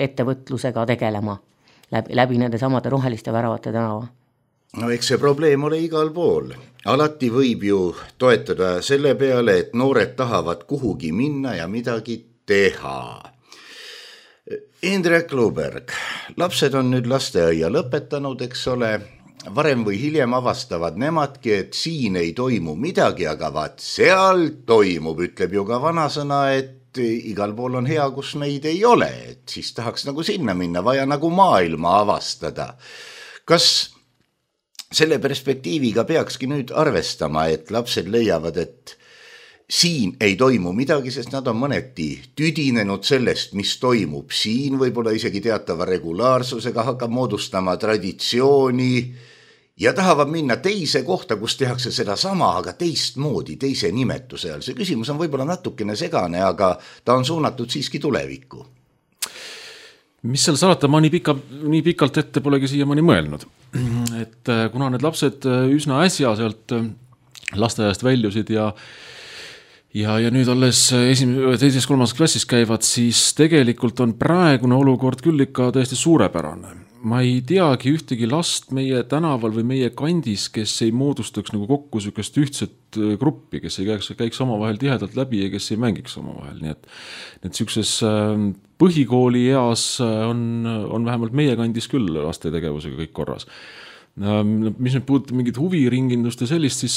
ettevõtlusega tegelema. Läbi, läbi nende samade roheliste väravate tänava. No eks see probleem ole igal pool. Alati võib ju toetada selle peale, et noored tahavad kuhugi minna ja midagi teha. Indrek Luberg, lapsed on nüüd lasteaia lõpetanud, eks ole. Varem või hiljem avastavad nemadki, et siin ei toimu midagi, aga vaat seal toimub, ütleb ju ka vanasõna, et igal pool on hea, kus meid ei ole, et siis tahaks nagu sinna minna, vaja nagu maailma avastada. Kas selle perspektiiviga peakski nüüd arvestama, et lapsed leiavad, et siin ei toimu midagi, sest nad on mõneti tüdinenud sellest, mis toimub siin, võib-olla isegi teatava regulaarsusega hakkab moodustama traditsiooni ja tahavad minna teise kohta, kus tehakse seda sama, aga teistmoodi, teise nimetuse all. See küsimus on võib-olla natukene segane, aga ta on suunatud siiski tulevikku. Mis seal salata, ma nii, pika, nii pikalt ette polegi siiamaani mõelnud. Et kuna need lapsed üsna äsja sealt lasteaiast väljusid ja Ja, ja nüüd alles esimese, teises, kolmas klassis käivad, siis tegelikult on praegune olukord küll ikka täiesti suurepärane. Ma ei teagi ühtegi last meie tänaval või meie kandis, kes ei moodustaks nagu kokku sükest ühtset gruppi, kes ei käiks, käiks omavahel tihedalt läbi ja kes ei mängiks omavahel. Nii et, et sükses põhikooli eas on, on vähemalt meie kandis küll laste tegevusega kõik korras. Mis nüüd puudutab mingit huviringindust ja sellist, siis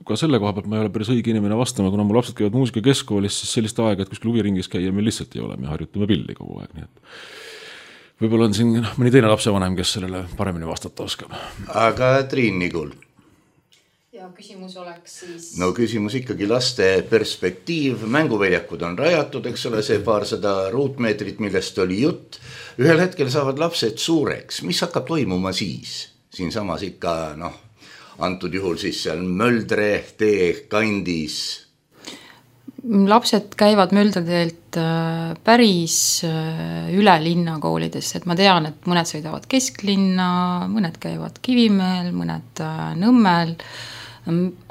ka selle koha pealt ma ei ole päris õige inimene vastama, kuna mu lapsed käivad muusika keskkoolis, siis sellist aega, et kuskil huviringis käia meil lihtsalt ei ole, me harjutame pilli kogu aeg, nii et võib-olla on siin mõni teine lapsevanem, kes sellele paremini vastata oskab. Aga Triin Nigul? Ja küsimus oleks siis... No küsimus ikkagi laste perspektiiv, mänguväljakud on rajatud, eks ole, see paarsada ruutmeetrit, millest oli jutt. Ühel hetkel saavad lapsed suureks, mis hakkab toimuma siis? Siin samas ikka, noh, antud juhul siis seal Möldre tee kandis. Lapsed käivad Möldreteelt päris üle linna koolides, et ma tean, et mõned sõidavad kesklinna, mõned käivad Kivimäel, mõned Nõmmel,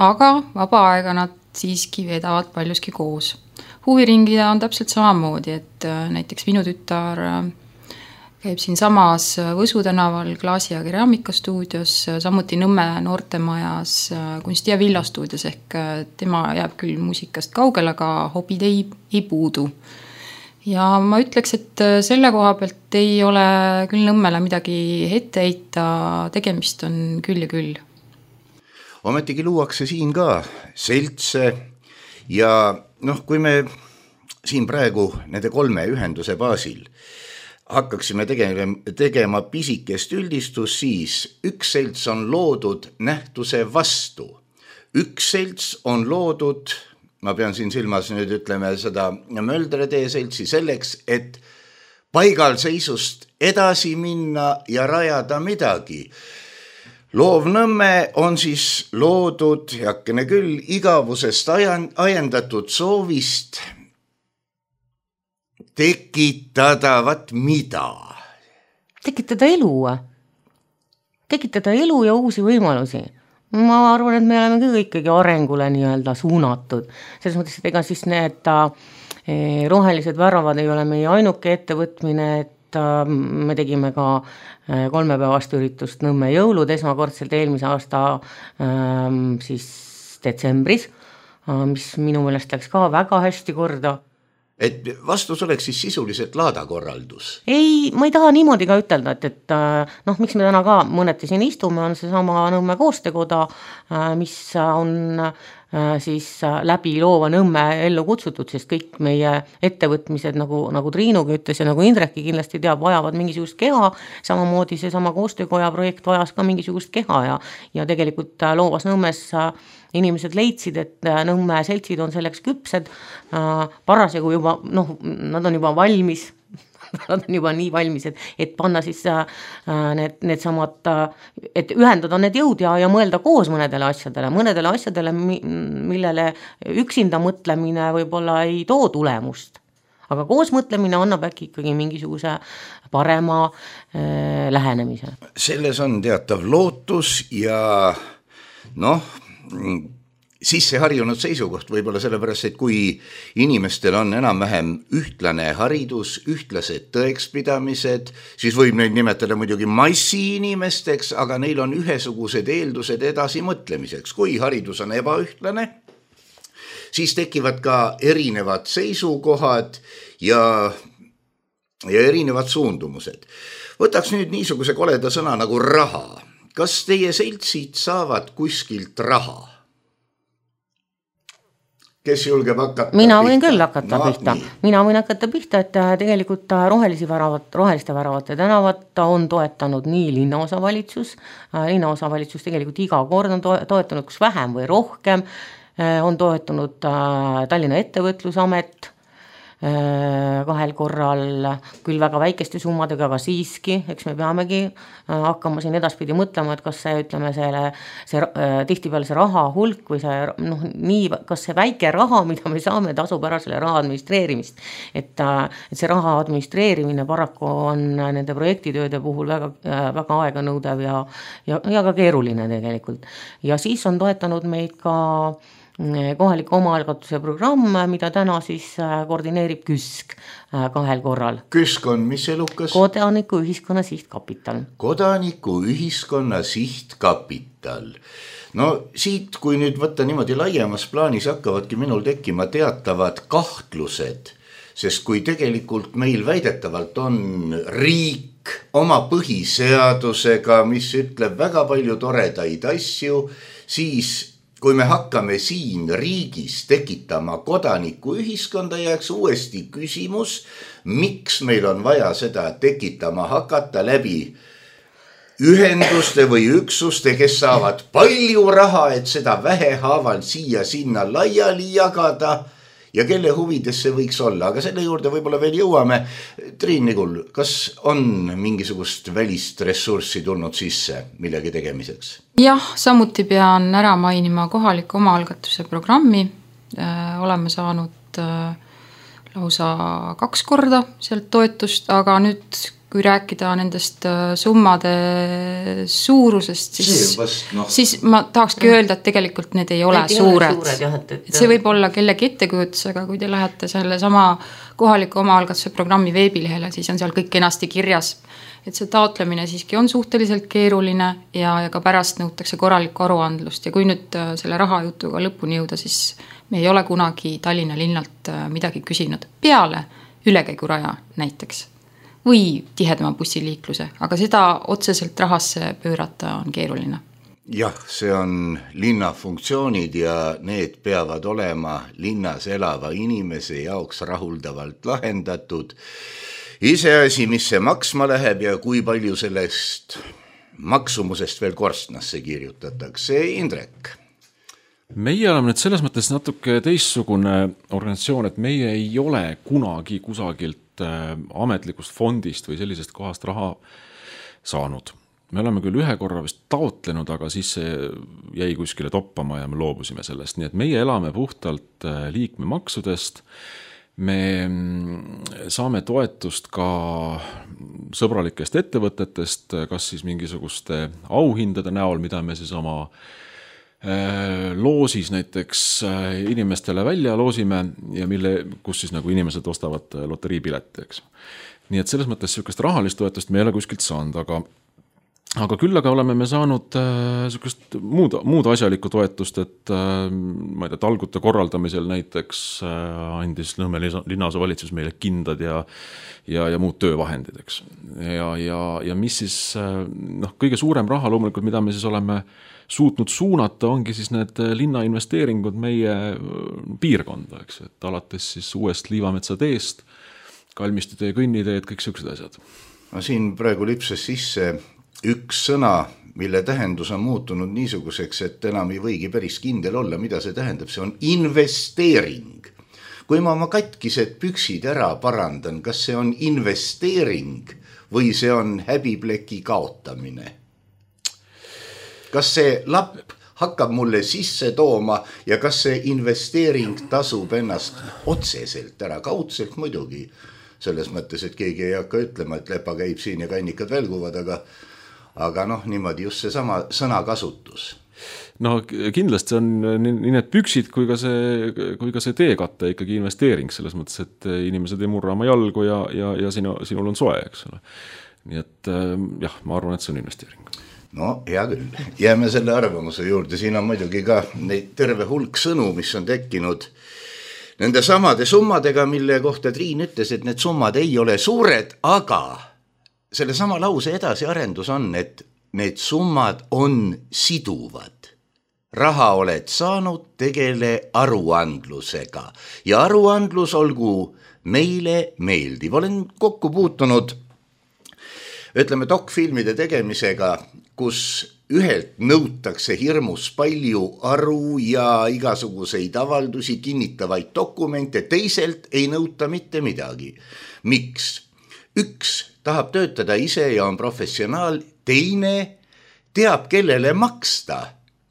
aga vaba aega nad siiski vedavad paljuski koos. Huviringida on täpselt samamoodi, et näiteks minu tütar käib siin samas Võsu tänaval Klaasi ja Keramikastuudios, samuti Nõmme noortemajas Kunsti ja Villastuudios, ehk tema jääb küll muusikast kaugel, aga hobid ei, ei puudu. Ja ma ütleks, et selle koha pealt ei ole küll Nõmmele midagi ette heita, tegemist on küll ja küll. Ometigi luuakse siin ka seltse ja noh, kui me siin praegu nende kolme ühenduse baasil hakkaksime tegema, tegema pisikest üldistus, siis üks selts on loodud nähtuse vastu. Üks selts on loodud, ma pean siin silmas nüüd ütleme seda Möldre tee seltsi selleks, et paigalseisust edasi minna ja rajada midagi. Loovnõmme on siis loodud, jakkene küll, igavusest ajendatud soovist tekitada, vat mida? Tekitada elu. Tekitada elu ja uusi võimalusi. Ma arvan, et me oleme kõik ikkagi arengule nii-öelda suunatud. Selles mõttes, et ega siis need eh, rohelised väravad ei ole meie ainuke ettevõtmine, et eh, me tegime ka eh, kolmepäevast üritust Nõmme jõulud esmakordselt eelmise aasta eh, siis detsembris, eh, mis minu meelest läks ka väga hästi korda. Et vastus oleks siis sisuliselt laadakorraldus? Ei, ma ei taha niimoodi ka ütelda, et, et noh, miks me täna ka mõneti siin istume, on see sama Nõmme koostöökoda, mis on siis läbi Loova Nõmme ellu kutsutud, sest kõik meie ettevõtmised, nagu, nagu Triinuga ütles ja nagu Indrekki kindlasti teab, vajavad mingisugust keha, samamoodi see sama koostöökoja projekt vajas ka mingisugust keha ja, ja tegelikult Loovas Nõmmes inimesed leidsid, et Nõmme seltsid on selleks küpsed, parasjagu juba, noh, nad on juba valmis, nad on juba nii valmis, et, et panna siis need, need samad, et ühendada need jõud ja, ja mõelda koos mõnedele asjadele, mõnedele asjadele, millele üksinda mõtlemine võib-olla ei too tulemust. Aga koos mõtlemine annab äkki ikkagi mingisuguse parema äh, lähenemise. Selles on teatav lootus ja noh, sisse harjunud seisukoht võib-olla sellepärast, et kui inimestel on enam-vähem ühtlane haridus, ühtlased tõekspidamised, siis võib neid nimetada muidugi massi inimesteks, aga neil on ühesugused eeldused edasi mõtlemiseks. Kui haridus on ebaühtlane, siis tekivad ka erinevad seisukohad ja, ja erinevad suundumused. Võtaks nüüd niisuguse koleda sõna nagu raha. Kas teie seltsid saavad kuskilt raha? Kes julgeb hakata Mina pihta? võin küll hakata no, pihta. Nii. Mina võin hakata pihta, et tegelikult rohelisi väravat, roheliste väravate tänavat on toetanud nii linnaosavalitsus. Linnaosavalitsus tegelikult iga kord on toetanud kus vähem või rohkem. On toetanud Tallinna ettevõtlusamet kahel korral, küll väga väikeste summadega, aga siiski, eks me peamegi hakkama siin edaspidi mõtlema, et kas see, ütleme, selle, see, tihtipeale see raha hulk või see, noh, nii, kas see väike raha, mida me saame, tasub ära selle raha administreerimist. Et, et see raha administreerimine paraku on nende projektitööde puhul väga, väga aeganõudev ja, ja, ja ka keeruline tegelikult. Ja siis on toetanud meid ka kohaliku omaalgatuse programm, mida täna siis koordineerib KÜSK kahel korral. KÜSK on mis elukas? Kodaniku ühiskonna sihtkapital. Kodaniku ühiskonna sihtkapital. No siit, kui nüüd võtta niimoodi laiemas plaanis, hakkavadki minul tekkima teatavad kahtlused sest kui tegelikult meil väidetavalt on riik oma põhiseadusega, mis ütleb väga palju toredaid asju, siis kui me hakkame siin riigis tekitama kodaniku ühiskonda, jääks uuesti küsimus, miks meil on vaja seda tekitama hakata läbi ühenduste või üksuste, kes saavad palju raha, et seda vähehaaval siia sinna laiali jagada ja kelle huvides see võiks olla. Aga selle juurde võib-olla veel jõuame. Triin Nigul, kas on mingisugust välist ressurssi tulnud sisse millegi tegemiseks? Jah, samuti pean ära mainima kohaliku omaalgatuse programmi. Oleme saanud lausa kaks korda sealt toetust, aga nüüd kui rääkida nendest summade suurusest, siis, vast, no. siis ma tahakski öelda, et tegelikult need ei ole need suured. suured jah, et, et... See võib olla kellegi ettekujutus, aga kui te lähete selle sama kohaliku omaalgatuse programmi veebilehele, siis on seal kõik kenasti kirjas. Et see taotlemine siiski on suhteliselt keeruline ja, ja ka pärast nõutakse korralikku aruandlust. Ja kui nüüd selle rahajutuga lõpuni jõuda, siis me ei ole kunagi Tallinna linnalt midagi küsinud. Peale ülekäiguraja näiteks. Või tihedama bussiliikluse, aga seda otseselt rahasse pöörata on keeruline. Jah, see on linna funktsioonid ja need peavad olema linnas elava inimese jaoks rahuldavalt lahendatud. Iseasi, mis see maksma läheb ja kui palju sellest maksumusest veel korstnasse kirjutatakse. Indrek? Meie oleme nüüd selles mõttes natuke teistsugune organisatsioon, et meie ei ole kunagi kusagilt ametlikust fondist või sellisest kohast raha saanud. Me oleme küll ühe korra vist taotlenud, aga siis see jäi kuskile toppama ja me loobusime sellest. Nii et meie elame puhtalt liikmemaksudest. Me saame toetust ka sõbralikest ettevõtetest, kas siis mingisuguste auhindade näol, mida me siis oma loosis näiteks inimestele välja loosime ja mille, kus siis nagu inimesed ostavad loteriipileti, eks. Nii et selles mõttes sellist rahalist toetust me ei ole kuskilt saanud, aga, aga küll aga oleme me saanud sellist muud, muud asjalikku toetust, et ma ei tea, talgute korraldamisel näiteks andis Nõmme linnase valitsus meile kindad ja, ja, ja muud töövahendid, eks. Ja, ja, ja mis siis, noh, kõige suurem raha loomulikult, mida me siis oleme suutnud suunata, ongi siis need linna investeeringud meie piirkonda, eks, et alates siis uuest Liivametsa teest, Kalmistutee kõnniteed, kõik sellised asjad. Ma siin praegu lipses sisse üks sõna, mille tähendus on muutunud niisuguseks, et enam ei võigi päris kindel olla, mida see tähendab, see on investeering. Kui ma oma katkised püksid ära parandan, kas see on investeering või see on häbipleki kaotamine? Kas see lapp hakkab mulle sisse tooma ja kas see investeering tasub ennast otseselt ära, kaudselt muidugi, selles mõttes, et keegi ei hakka ütlema, et lepa käib siin ja kannikad välguvad, aga, aga noh, niimoodi just see sama sõnakasutus. No kindlasti on nii need püksid kui ka see, kui ka see teekatte ikkagi investeering, selles mõttes, et inimesed ei murra oma jalgu ja, ja, ja sinu, sinul on soe, eks ole. Nii et jah, ma arvan, et see on investeering. No hea küll, jääme selle arvamuse juurde, siin on muidugi ka neid terve hulk sõnu, mis on tekkinud nende samade summadega, mille kohta Triin ütles, et need summad ei ole suured, aga selle sama lause edasiarendus on, et need summad on siduvad. Raha oled saanud, tegele aruandlusega ja aruandlus olgu meile meeldiv. Olen kokku puutunud ütleme dokfilmide tegemisega, kus ühelt nõutakse hirmus palju aru ja igasuguseid avaldusi, kinnitavaid dokumente, teiselt ei nõuta mitte midagi. Miks? Üks tahab töötada ise ja on professionaal, teine teab, kellele maksta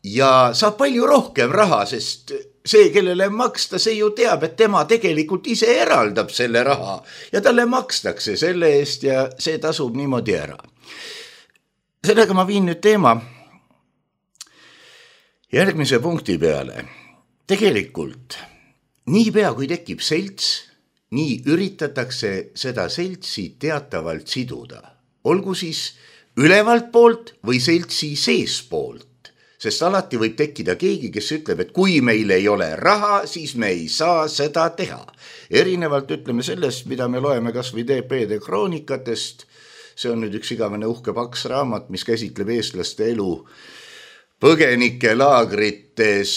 ja saab palju rohkem raha, sest see, kellele maksta, see ju teab, et tema tegelikult ise eraldab selle raha ja talle makstakse selle eest ja see tasub niimoodi ära. Sellega ma viin nüüd teema järgmise punkti peale. Tegelikult niipea kui tekib selts, nii üritatakse seda seltsi teatavalt siduda. Olgu siis ülevalt poolt või seltsi sees poolt. Sest alati võib tekkida keegi, kes ütleb, et kui meil ei ole raha, siis me ei saa seda teha. Erinevalt ütleme sellest, mida me loeme kas või D P-de kroonikatest, see on nüüd üks igavene uhke paks raamat, mis käsitleb eestlaste elu põgenike laagrites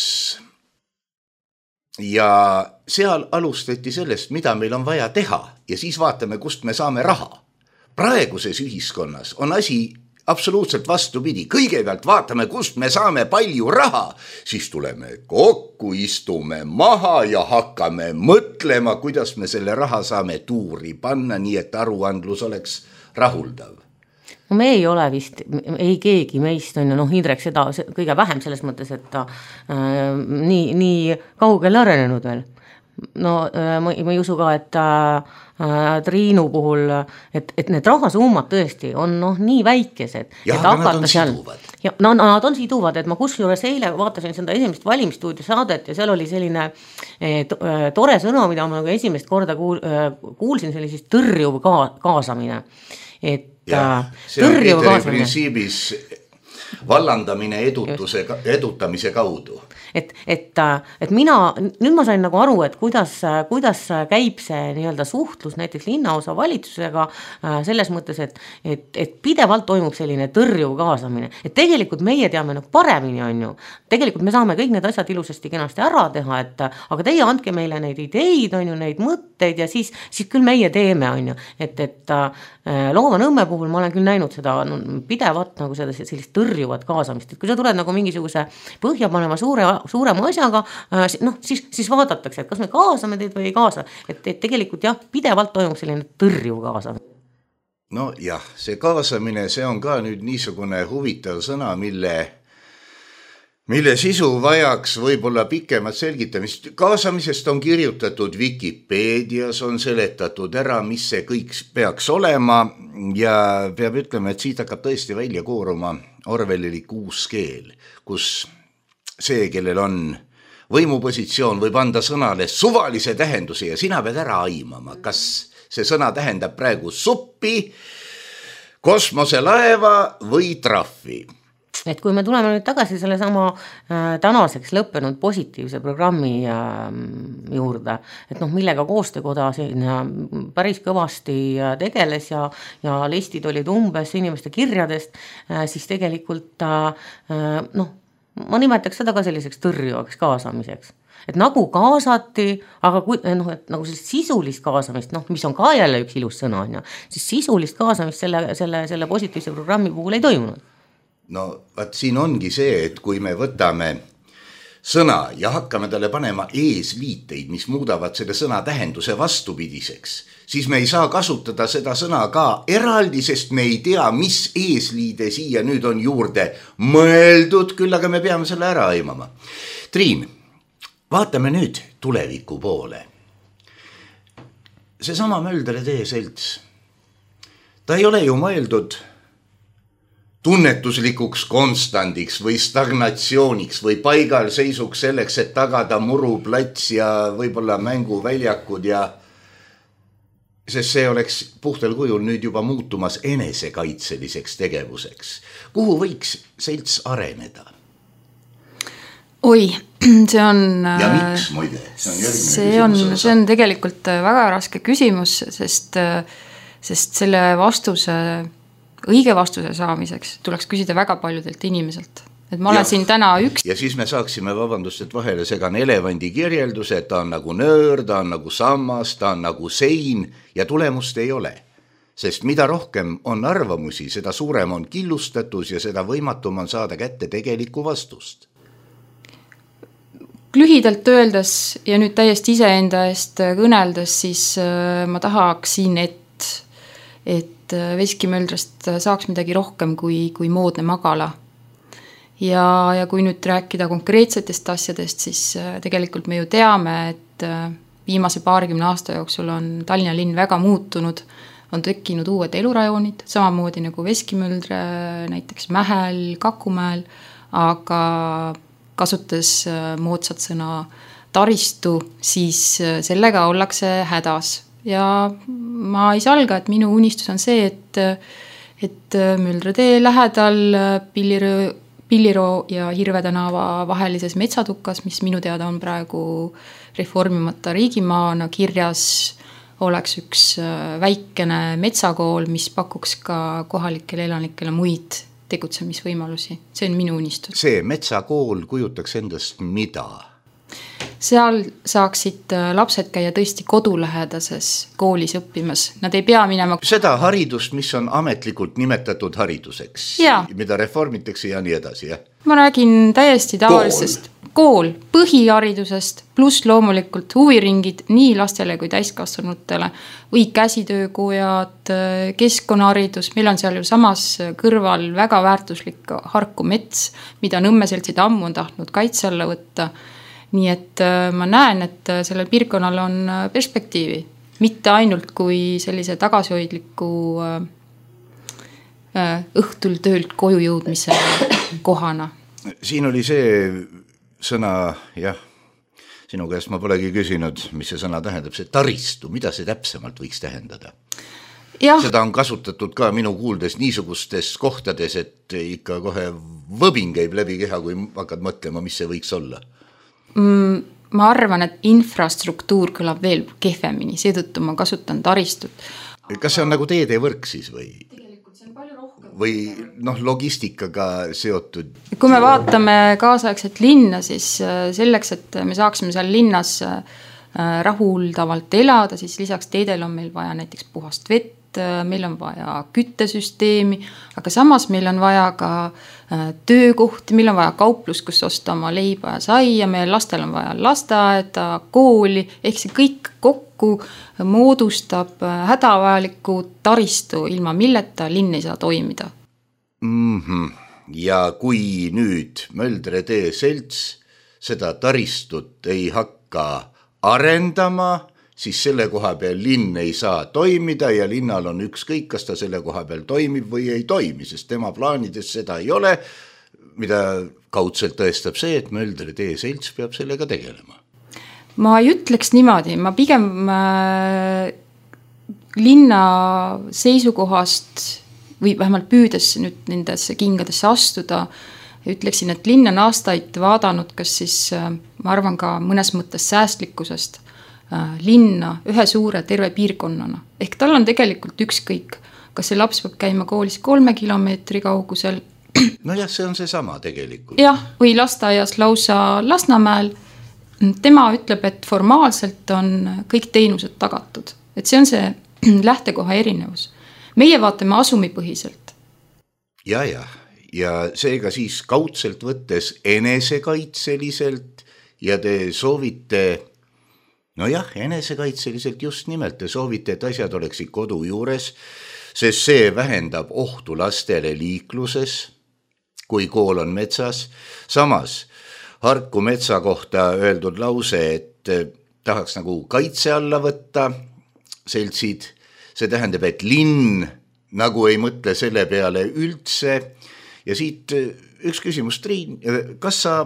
ja seal alustati sellest, mida meil on vaja teha ja siis vaatame, kust me saame raha. Praeguses ühiskonnas on asi absoluutselt vastupidi. Kõigepealt vaatame, kust me saame palju raha, siis tuleme kokku, istume maha ja hakkame mõtlema, kuidas me selle raha saame tuuri panna, nii et aruandlus oleks rahuldav. No me ei ole vist, ei keegi meist on, noh Indrek seda kõige vähem selles mõttes, et ta äh, nii, nii kaugele arenenud veel. No äh, ma, ma ei usu ka, et äh, Triinu puhul, et, et need rahasummad tõesti on noh, nii väikesed. Ja, et aga nad on seal, siduvad. Ja, no, nad on siduvad, et ma kusjuures eile vaatasin seda esimest valimisstuudio saadet ja seal oli selline eh, to, eh, tore sõna, mida ma nagu esimest korda kuul, eh, kuulsin, see oli siis tõrjuv ka, kaasamine. Et, ja, see on Peeteri printsiibis vallandamine edutuse, edutamise kaudu. Et, et, et mina, nüüd ma sain nagu aru, et kuidas, kuidas käib see nii-öelda suhtlus näiteks linnaosa valitsusega selles mõttes, et, et, et pidevalt toimub selline tõrjuv kaasamine. Et tegelikult meie teame nagu paremini on ju. Tegelikult me saame kõik need asjad ilusasti kenasti ära teha, et aga teie andke meile neid ideid, on ju, neid mõtteid ja siis, siis küll meie teeme, on ju. Et, et Loova Nõmme puhul ma olen küll näinud seda no, pidevat nagu seda sellist tõrjuvat kaasamist. Et kui sa tuled nagu mingisuguse põhja panema suure suurema asjaga, noh, siis, siis vaadatakse, et kas me kaasame teid või ei kaasa. Et, et tegelikult jah, pidevalt toimub selline tõrjuv kaasamine. No jah, see kaasamine, see on ka nüüd niisugune huvitav sõna, mille, mille sisu vajaks võib-olla pikemat selgitamist. Kaasamisest on kirjutatud Wikipeedias, on seletatud ära, mis see kõik peaks olema ja peab ütlema, et siit hakkab tõesti välja kooruma Orwellilik uus keel, kus see, kellel on võimupositsioon, võib anda sõnale suvalise tähenduse ja sina pead ära aimama, kas see sõna tähendab praegu suppi, kosmoselaeva või trahvi. Et kui me tuleme nüüd tagasi selle sama äh, tänaseks lõppenud positiivse programmi äh, juurde, et noh, millega koostöökoda siin äh, päris kõvasti äh, tegeles ja, ja listid olid umbes inimeste kirjadest, äh, siis tegelikult äh, äh, noh, ma nimetaks seda ka selliseks tõrjuvaks kaasamiseks. Et nagu kaasati, aga kui, noh, et nagu sellist sisulist kaasamist, noh, mis on ka jälle üks ilus sõna, on, siis sisulist kaasamist selle, selle, selle positiivse programmi puhul ei toimunud. No, vaat siin ongi see, et kui me võtame sõna ja hakkame talle panema eesliiteid, mis muudavad selle sõna tähenduse vastupidiseks, siis me ei saa kasutada seda sõna ka eraldi, sest me ei tea, mis eesliide siia nüüd on juurde mõeldud, küll aga me peame selle ära aimama. Triin, vaatame nüüd tuleviku poole. Seesama Möldre tee selts, ta ei ole ju mõeldud tunnetuslikuks konstandiks või stagnatsiooniks või paigal seisuks selleks, et tagada muruplats ja võib-olla mänguväljakud ja sest see oleks puhtal kujul nüüd juba muutumas enesekaitseliseks tegevuseks. Kuhu võiks selts areneda? Oi, see on... Ja miks, muide? See on, see on, see on tegelikult väga raske küsimus, sest, sest selle vastuse... õige vastuse saamiseks tuleks küsida väga paljudelt inimeselt. Et ma olen ja, siin täna üks... Ja siis me saaksime, vabandust, et vahele segan elevandi kirjelduse, et ta on nagu nöör, ta on nagu sammas, ta on nagu sein ja tulemust ei ole. Sest mida rohkem on arvamusi, seda suurem on killustatus ja seda võimatum on saada kätte tegelikku vastust. Lühidalt öeldes ja nüüd täiesti iseenda eest kõneldes, siis ma tahaksin, et, et Veskimöldrast saaks midagi rohkem kui, kui moodne magala. Ja, ja kui nüüd rääkida konkreetsetest asjadest, siis tegelikult me ju teame, et viimase paarikümne aasta jooksul on Tallinna linn väga muutunud, on tekkinud uued elurajoonid, samamoodi nagu Veskimöldre, näiteks Mähel, Kakumäel, aga kasutades moodsat sõna taristu, siis sellega ollakse hädas. Ja ma ei salga, et minu unistus on see, et, et Möldre tee lähedal Pillirõõn Pilliroo ja Hirve tänava vahelises metsatukas, mis minu teada on praegu reformimata riigimaana kirjas, oleks üks väikene metsakool, mis pakuks ka kohalikele elanikele muid tegutsemisvõimalusi. See on minu unistus. See metsakool kujutaks endast mida? Seal saaksid lapsed käia tõesti kodulähedases koolis õppimas. Nad ei pea minema... Seda haridust, mis on ametlikult nimetatud hariduseks, ja. Mida reformitakse ja nii edasi, jah? Ma räägin täiesti tavalisest kool, kool põhiharidusest, pluss loomulikult huviringid nii lastele kui täiskasvanutele või käsitöökojad, keskkonnaharidus. Meil on seal ju samas kõrval väga väärtuslik Harku mets, mida Nõmmeseltsid ammu on tahtnud kaitse alla võtta. Nii et ma näen, et sellel piirkonnal on perspektiivi, mitte ainult kui sellise tagasihoidliku õhtul töölt koju jõudmise kohana. Siin oli see sõna, jah, sinu käest ma polegi küsinud, mis see sõna tähendab, see taristu, mida see täpsemalt võiks tähendada? Ja. Seda on kasutatud ka minu kuuldes niisugustes kohtades, et ikka kohe võbin käib läbi keha, kui hakkad mõtlema, mis see võiks olla. Ma arvan, et infrastruktuur kõlab veel kehvemini, seetõttu ma kasutan taristut. Kas see on nagu teedevõrk siis või? Või noh, logistikaga seotud? Kui me vaatame kaasaegset linna, siis selleks, et me saaksime seal linnas rahuldavalt elada, siis lisaks teedel on meil vaja näiteks puhast vett, meil on vaja küttesüsteemi, aga samas meil on vaja ka töökohti, meil on vaja kauplus, kus osta oma leiba ja saia, meie lastel on vaja lasteaeda, kooli, ehk see kõik kokku moodustab hädavajaliku taristu, ilma milleta linn ei saa toimida. Mm-hmm. Ja kui nüüd Möldre tee selts seda taristut ei hakka arendama, siis selle koha peal linn ei saa toimida ja linnal on ükskõik, kas ta selle koha peal toimib või ei toimi, sest tema plaanides seda ei ole, mida kaudselt tõestab see, et Möldre tee selts peab sellega tegelema. Ma ei ütleks niimoodi, ma pigem äh, linna seisukohast või vähemalt püüdes nüüd nendesse kingadesse astuda, ütleksin, et linn on aastaid vaadanud, kas siis, äh, ma arvan ka mõnes mõttes säästlikkusest, linna ühe suure terve piirkonnana. Ehk tal on tegelikult ükskõik, kas see laps peab käima koolis kolme kilomeetri kaugusel. No jah, see on see sama tegelikult. Jah, või lasteaias lausa Lasnamäel. Tema ütleb, et formaalselt on kõik teenused tagatud. Et see on see lähtekoha erinevus. Meie vaatame asumipõhiselt. Ja, ja. Ja seega siis kaudselt võttes enesekaitseliselt ja te soovite... No jah, enesekaitseliselt just nimelt te soovite, et asjad oleksid kodu juures, sest see vähendab ohtu lastele liikluses, kui kool on metsas. Samas Harku metsa kohta öeldud lause, et tahaks nagu kaitse alla võtta seltsid, see tähendab, et linn nagu ei mõtle selle peale üldse. Ja siit üks küsimus, Triin, kas sa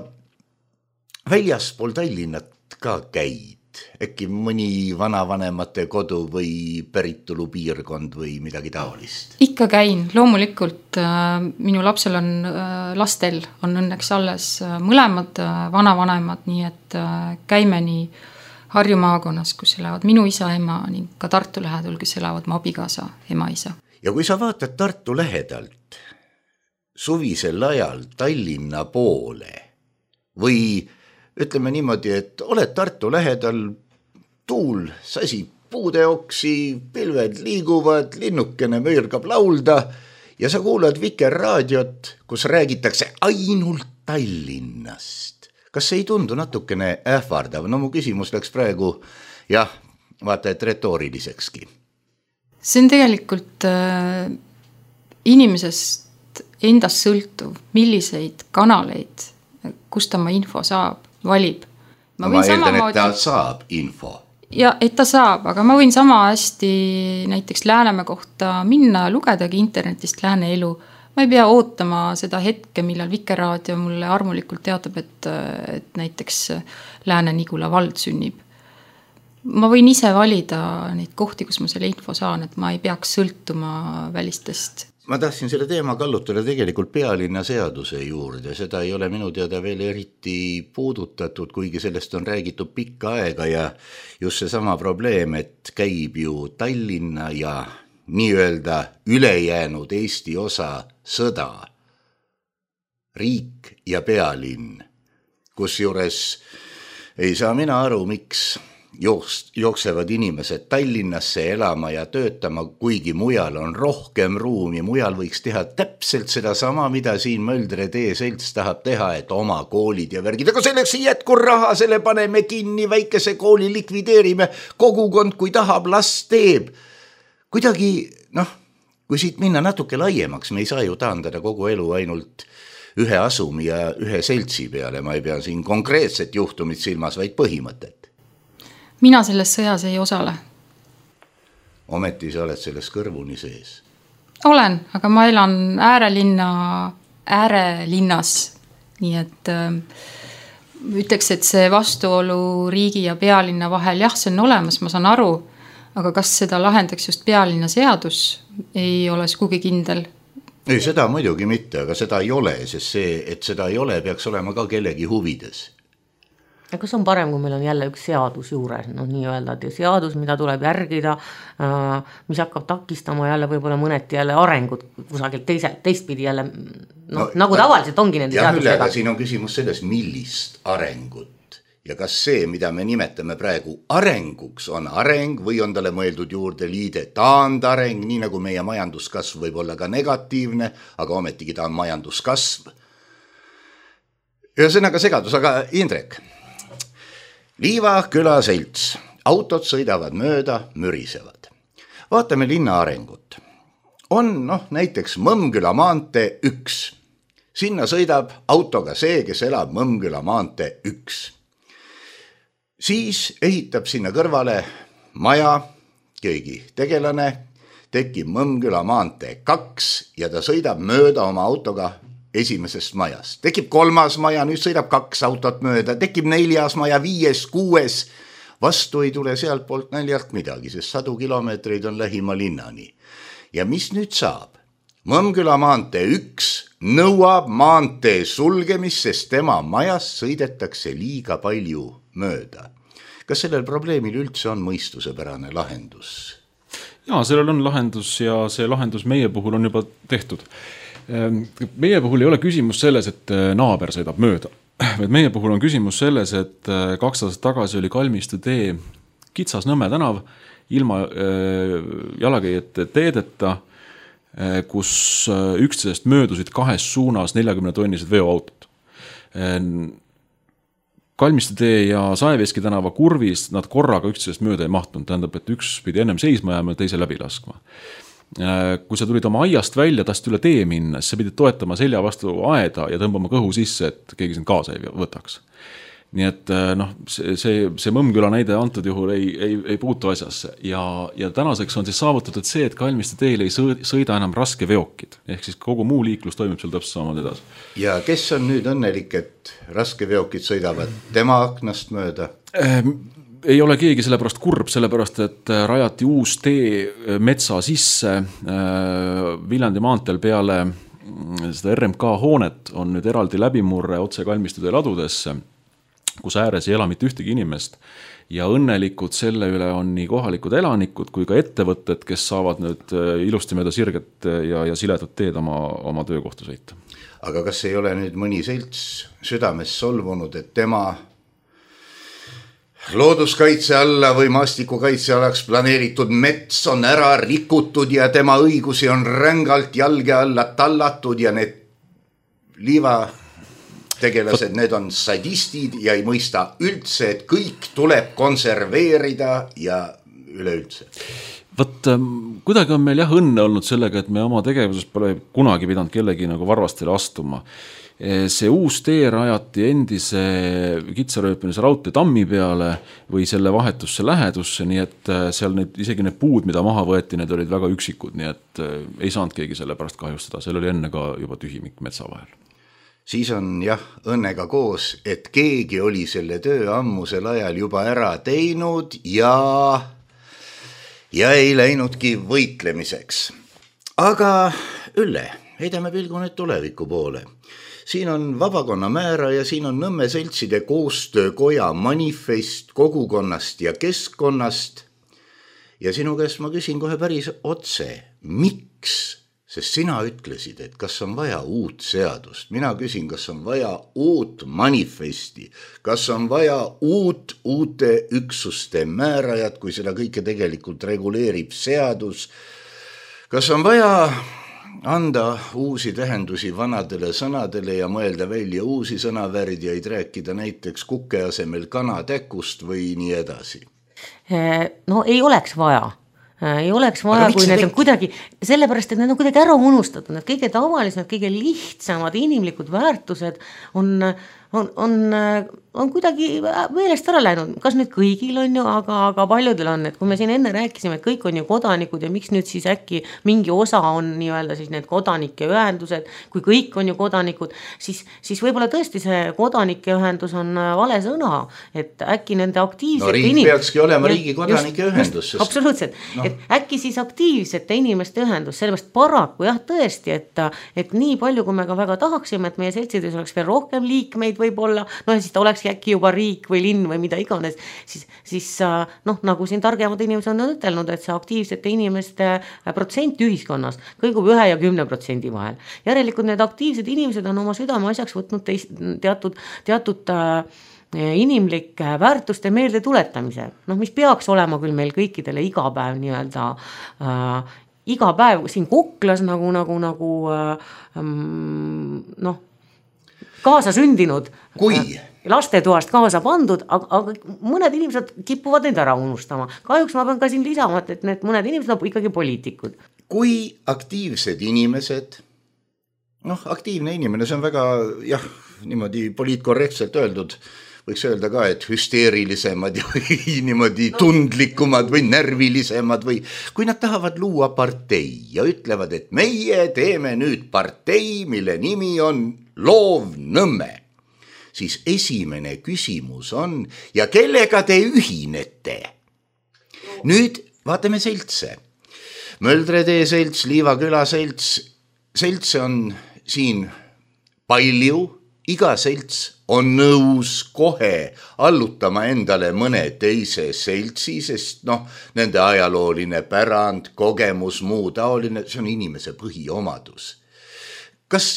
väljaspool Tallinnat ka käid? Äkki mõni vanavanemate kodu või päritolu piirkond või midagi taolist? Ikka käin, loomulikult minu lapsel on, lastel on õnneks alles mõlemad vanavanemad, nii et käime nii Harju maakonnas, kus elavad minu isa, ema ning ka Tartu lähedal, kes elavad mu abikaasa, ema, isa. Ja kui sa vaatad Tartu lähedalt suvisel ajal Tallinna poole või ütleme niimoodi, et oled Tartu lähedal, tuul sasib puudeoksi, pilved liiguvad, linnukene möörgab laulda ja sa kuulad Vikerraadiot, kus räägitakse ainult Tallinnast. Kas see ei tundu natukene ähvardav? No mu küsimus läks praegu, jah, vaata, et retoorilisekski. See on tegelikult äh, inimesest endast sõltuv, milliseid kanaleid, kust oma info saab, valib. Ma, ma eeldan, et ta saab info. Ja, et ta saab, aga ma võin sama hästi näiteks Läänemäe kohta minna ja lugedagi internetist Lääne elu. Ma ei pea ootama seda hetke, millal Vikerraadio mulle armulikult teatab, et, et näiteks Lääne-Nigula vald sünnib. Ma võin ise valida neid kohti, kus ma selle info saan, et ma ei peaks sõltuma välistest. ma tahtsin selle teema kallutada tegelikult pealinna seaduse juurde, seda ei ole minu teada veel eriti puudutatud, kuigi sellest on räägitud pikka aega ja just see sama probleem, et käib ju Tallinna ja nii-öelda ülejäänud Eesti osa sõda, riik ja pealinn, kus juures ei saa mina aru, miks jooks, jooksevad inimesed Tallinnasse elama ja töötama, kuigi mujal on rohkem ruumi, mujal võiks teha täpselt seda sama, mida siin Möldre tee selts tahab teha, et oma koolid ja värgid, aga selleks ei jätku raha, selle paneme kinni, väikese kooli likvideerime, kogukond, kui tahab, las teeb. Kuidagi, noh, kui siit minna natuke laiemaks, me ei saa ju taandada kogu elu ainult ühe asumi ja ühe seltsi peale, ma ei pea siin konkreetset juhtumit silmas, vaid põhimõtet. Mina selles sõjas ei osale. Ometi sa oled selles kõrvuni sees. Olen, aga ma elan äärelinna, äärelinnas, nii et äh, ütleks, et see vastuolu riigi ja pealinna vahel, jah, see on olemas, ma saan aru, aga kas seda lahendaks just pealinna seadus, ei ole sugugi kindel. Ei, seda muidugi mitte, aga seda ei ole, sest see, et seda ei ole, peaks olema ka kellegi huvides. Ja kas on parem, kui meil on jälle üks seadus juures, no nii öelda, et seadus, mida tuleb järgida, mis hakkab takistama jälle võib-olla mõneti jälle arengut kusagil teise, teistpidi jälle, no, no nagu tavaliselt ongi nende seadusega. Aga siin on küsimus selles, millist arengut ja kas see, mida me nimetame praegu arenguks, on areng või on talle mõeldud juurde liide taandareng, nii nagu meie majanduskasv võib olla ka negatiivne, aga ometigi ta on majanduskasv. Ühesõnaga segadus, aga Indrek, Liiva küla selts, autod sõidavad mööda, mürisevad. Vaatame linna arengut. On noh, näiteks Mõmmküla maantee üks. Sinna sõidab autoga see, kes elab Mõmmküla maantee üks. Siis ehitab sinna kõrvale maja, keegi tegelane, tekib Mõmmküla maantee kaks ja ta sõidab mööda oma autoga esimesest majast. Tekib kolmas maja, nüüd sõidab kaks autot mööda, tekib neljas maja, viies, kuues. Vastu ei tule sealt poolt näljalt midagi, sest sadu kilomeetreid on lähima linnani. Ja mis nüüd saab? Mõmmküla maantee üks nõuab maantee sulgemist, sest tema majast sõidetakse liiga palju mööda. Kas sellel probleemil üldse on mõistusepärane lahendus? Jaa, sellel on lahendus ja see lahendus meie puhul on juba tehtud. Meie puhul ei ole küsimus selles, et naaber sõidab mööda. Meie puhul on küsimus selles, et kaks aastat tagasi oli Kalmistu tee kitsas Nõmme tänav ilma jalakäijate teedeta, kus üksteisest möödusid kahes suunas neljakümne tonnised veoautot. Kalmistu tee ja Saeveski tänava kurvis nad korraga üksteisest mööda ei mahtunud, tähendab, et üks pidi ennem seisma jääma ja teise läbi laskma. Kui sa tulid oma aiast välja, tahtsid üle tee minna, siis sa pidid toetama selja vastu aeda ja tõmbama kõhu sisse, et keegi sind kaasa ei võtaks. Nii et noh, see, see, see Mõmmküla näide antud juhul ei, ei, ei puutu asjasse ja, ja tänaseks on siis saavutatud see, et Kalmistu teel ei sõida enam raske veokid, ehk siis kogu muu liiklus toimub seal täpselt samad edasi. Ja kes on nüüd õnnelik, et raske veokid sõidavad tema aknast mööda? Ei ole keegi sellepärast kurb, sellepärast, et rajati uus tee metsa sisse Viljandi maanteel peale seda R M K hoonet on nüüd eraldi läbimurre otse Kalmistu tee ladudesse, kus ääres ei ela mitte ühtegi inimest ja õnnelikud selle üle on nii kohalikud elanikud kui ka ettevõtted, kes saavad nüüd ilusti mööda sirget ja, ja siledat teed oma, oma töökohta sõita. Aga kas ei ole nüüd mõni selts südames solvunud, et tema looduskaitse alla või maastikukaitse alaks planeeritud mets on ära rikutud ja tema õigusi on rängalt jalge alla tallatud ja need Liiva tegelased, need on sadistid ja ei mõista üldse, et kõik tuleb konserveerida ja üleüldse. Võt, kuidagi on meil jah õnne olnud sellega, et me oma tegevuses pole kunagi pidanud kellegi nagu varvastele astuma. See uus tee rajati endise kitsarööpinise raudtee tammi peale või selle vahetusse lähedusse, nii et seal need, isegi need puud, mida maha võeti, need olid väga üksikud, nii et ei saanud keegi selle pärast kahjustada, seal oli enne ka juba tühimik metsa vahel. Siis on jah õnnega koos, et keegi oli selle töö ammusel ajal juba ära teinud ja, ja ei läinudki võitlemiseks. Aga Ülle, heidame pilgu nüüd tuleviku poole. Siin on vabakonna määra ja siin on Nõmme seltside koostöökoja manifest kogukonnast ja keskkonnast. Ja sinu käest ma küsin kohe päris otse, miks? Sest sina ütlesid, et kas on vaja uut seadust. Mina küsin, kas on vaja uut manifesti, kas on vaja uut uute üksuste määrajat, kui seda kõike tegelikult reguleerib seadus. Kas on vaja anda uusi tähendusi vanadele sõnadele ja mõelda välja uusi sõnavärdjaid, rääkida näiteks kuke asemel kanatäkust või nii edasi? No ei oleks vaja. Ei oleks vaja, kui need on kuidagi, sellepärast, et need on kuidagi ära unustatud, need kõige tavalisemad, kõige lihtsamad inimlikud väärtused on, on, on, on kuidagi meelest ära läinud, kas nüüd kõigil on ju, aga, aga paljudel on, et kui me siin enne rääkisime, et kõik on ju kodanikud ja miks nüüd siis äkki mingi osa on nii-öelda siis need kodanike ühendused, kui kõik on ju kodanikud, siis, siis võib-olla tõesti see kodanike ühendus on vale sõna, et äkki nende aktiivsete no riik inim... peakski olema riigi kodanike just, ühendus. Sest... Absoluutselt, no. Et äkki siis aktiivsete inimeste ühendus, sellepärast paraku jah tõesti, et, et nii palju, kui me ka väga tahaksime, et meie seltsides oleks veel rohkem liikmeid võib-olla, no ja siis ta olekski äkki juba riik või linn või mida iganes, siis, siis noh, nagu siin targemad inimesed on ütelnud, et see aktiivsete inimeste protsent ühiskonnas kõigub ühe ja kümne protsendi vahel. Järelikult need aktiivsed inimesed on oma südame asjaks võtnud teist, teatud, teatud äh, inimlik väärtuste meelde tuletamise, noh, mis peaks olema küll meil kõikidele iga päev nii-öelda äh, iga päev siin Kuklas nagu, nagu, nagu äh, noh, kaasa sündinud kui äh, lastetoast kaasa pandud, aga, aga mõned inimesed kipuvad neid ära unustama. Kahjuks ma pean ka siin lisama, et need mõned inimesed on ikkagi poliitikud. Kui aktiivsed inimesed, noh, aktiivne inimene, see on väga, jah, niimoodi poliitkorrektselt öeldud, võiks öelda ka, et hüsteerilisemad või niimoodi tundlikumad või närvilisemad või kui nad tahavad luua partei ja ütlevad, et meie teeme nüüd partei, mille nimi on Loov Nõmme, siis esimene küsimus on, ja kellega te ühinete? Nüüd vaatame seltse. Möldretee selts, Liivaküla selts, seltse on siin palju, iga selts on nõus kohe allutama endale mõne teise seltsi, sest noh, nende ajalooline pärand, kogemus, muu taoline, see on inimese põhiomadus. Kas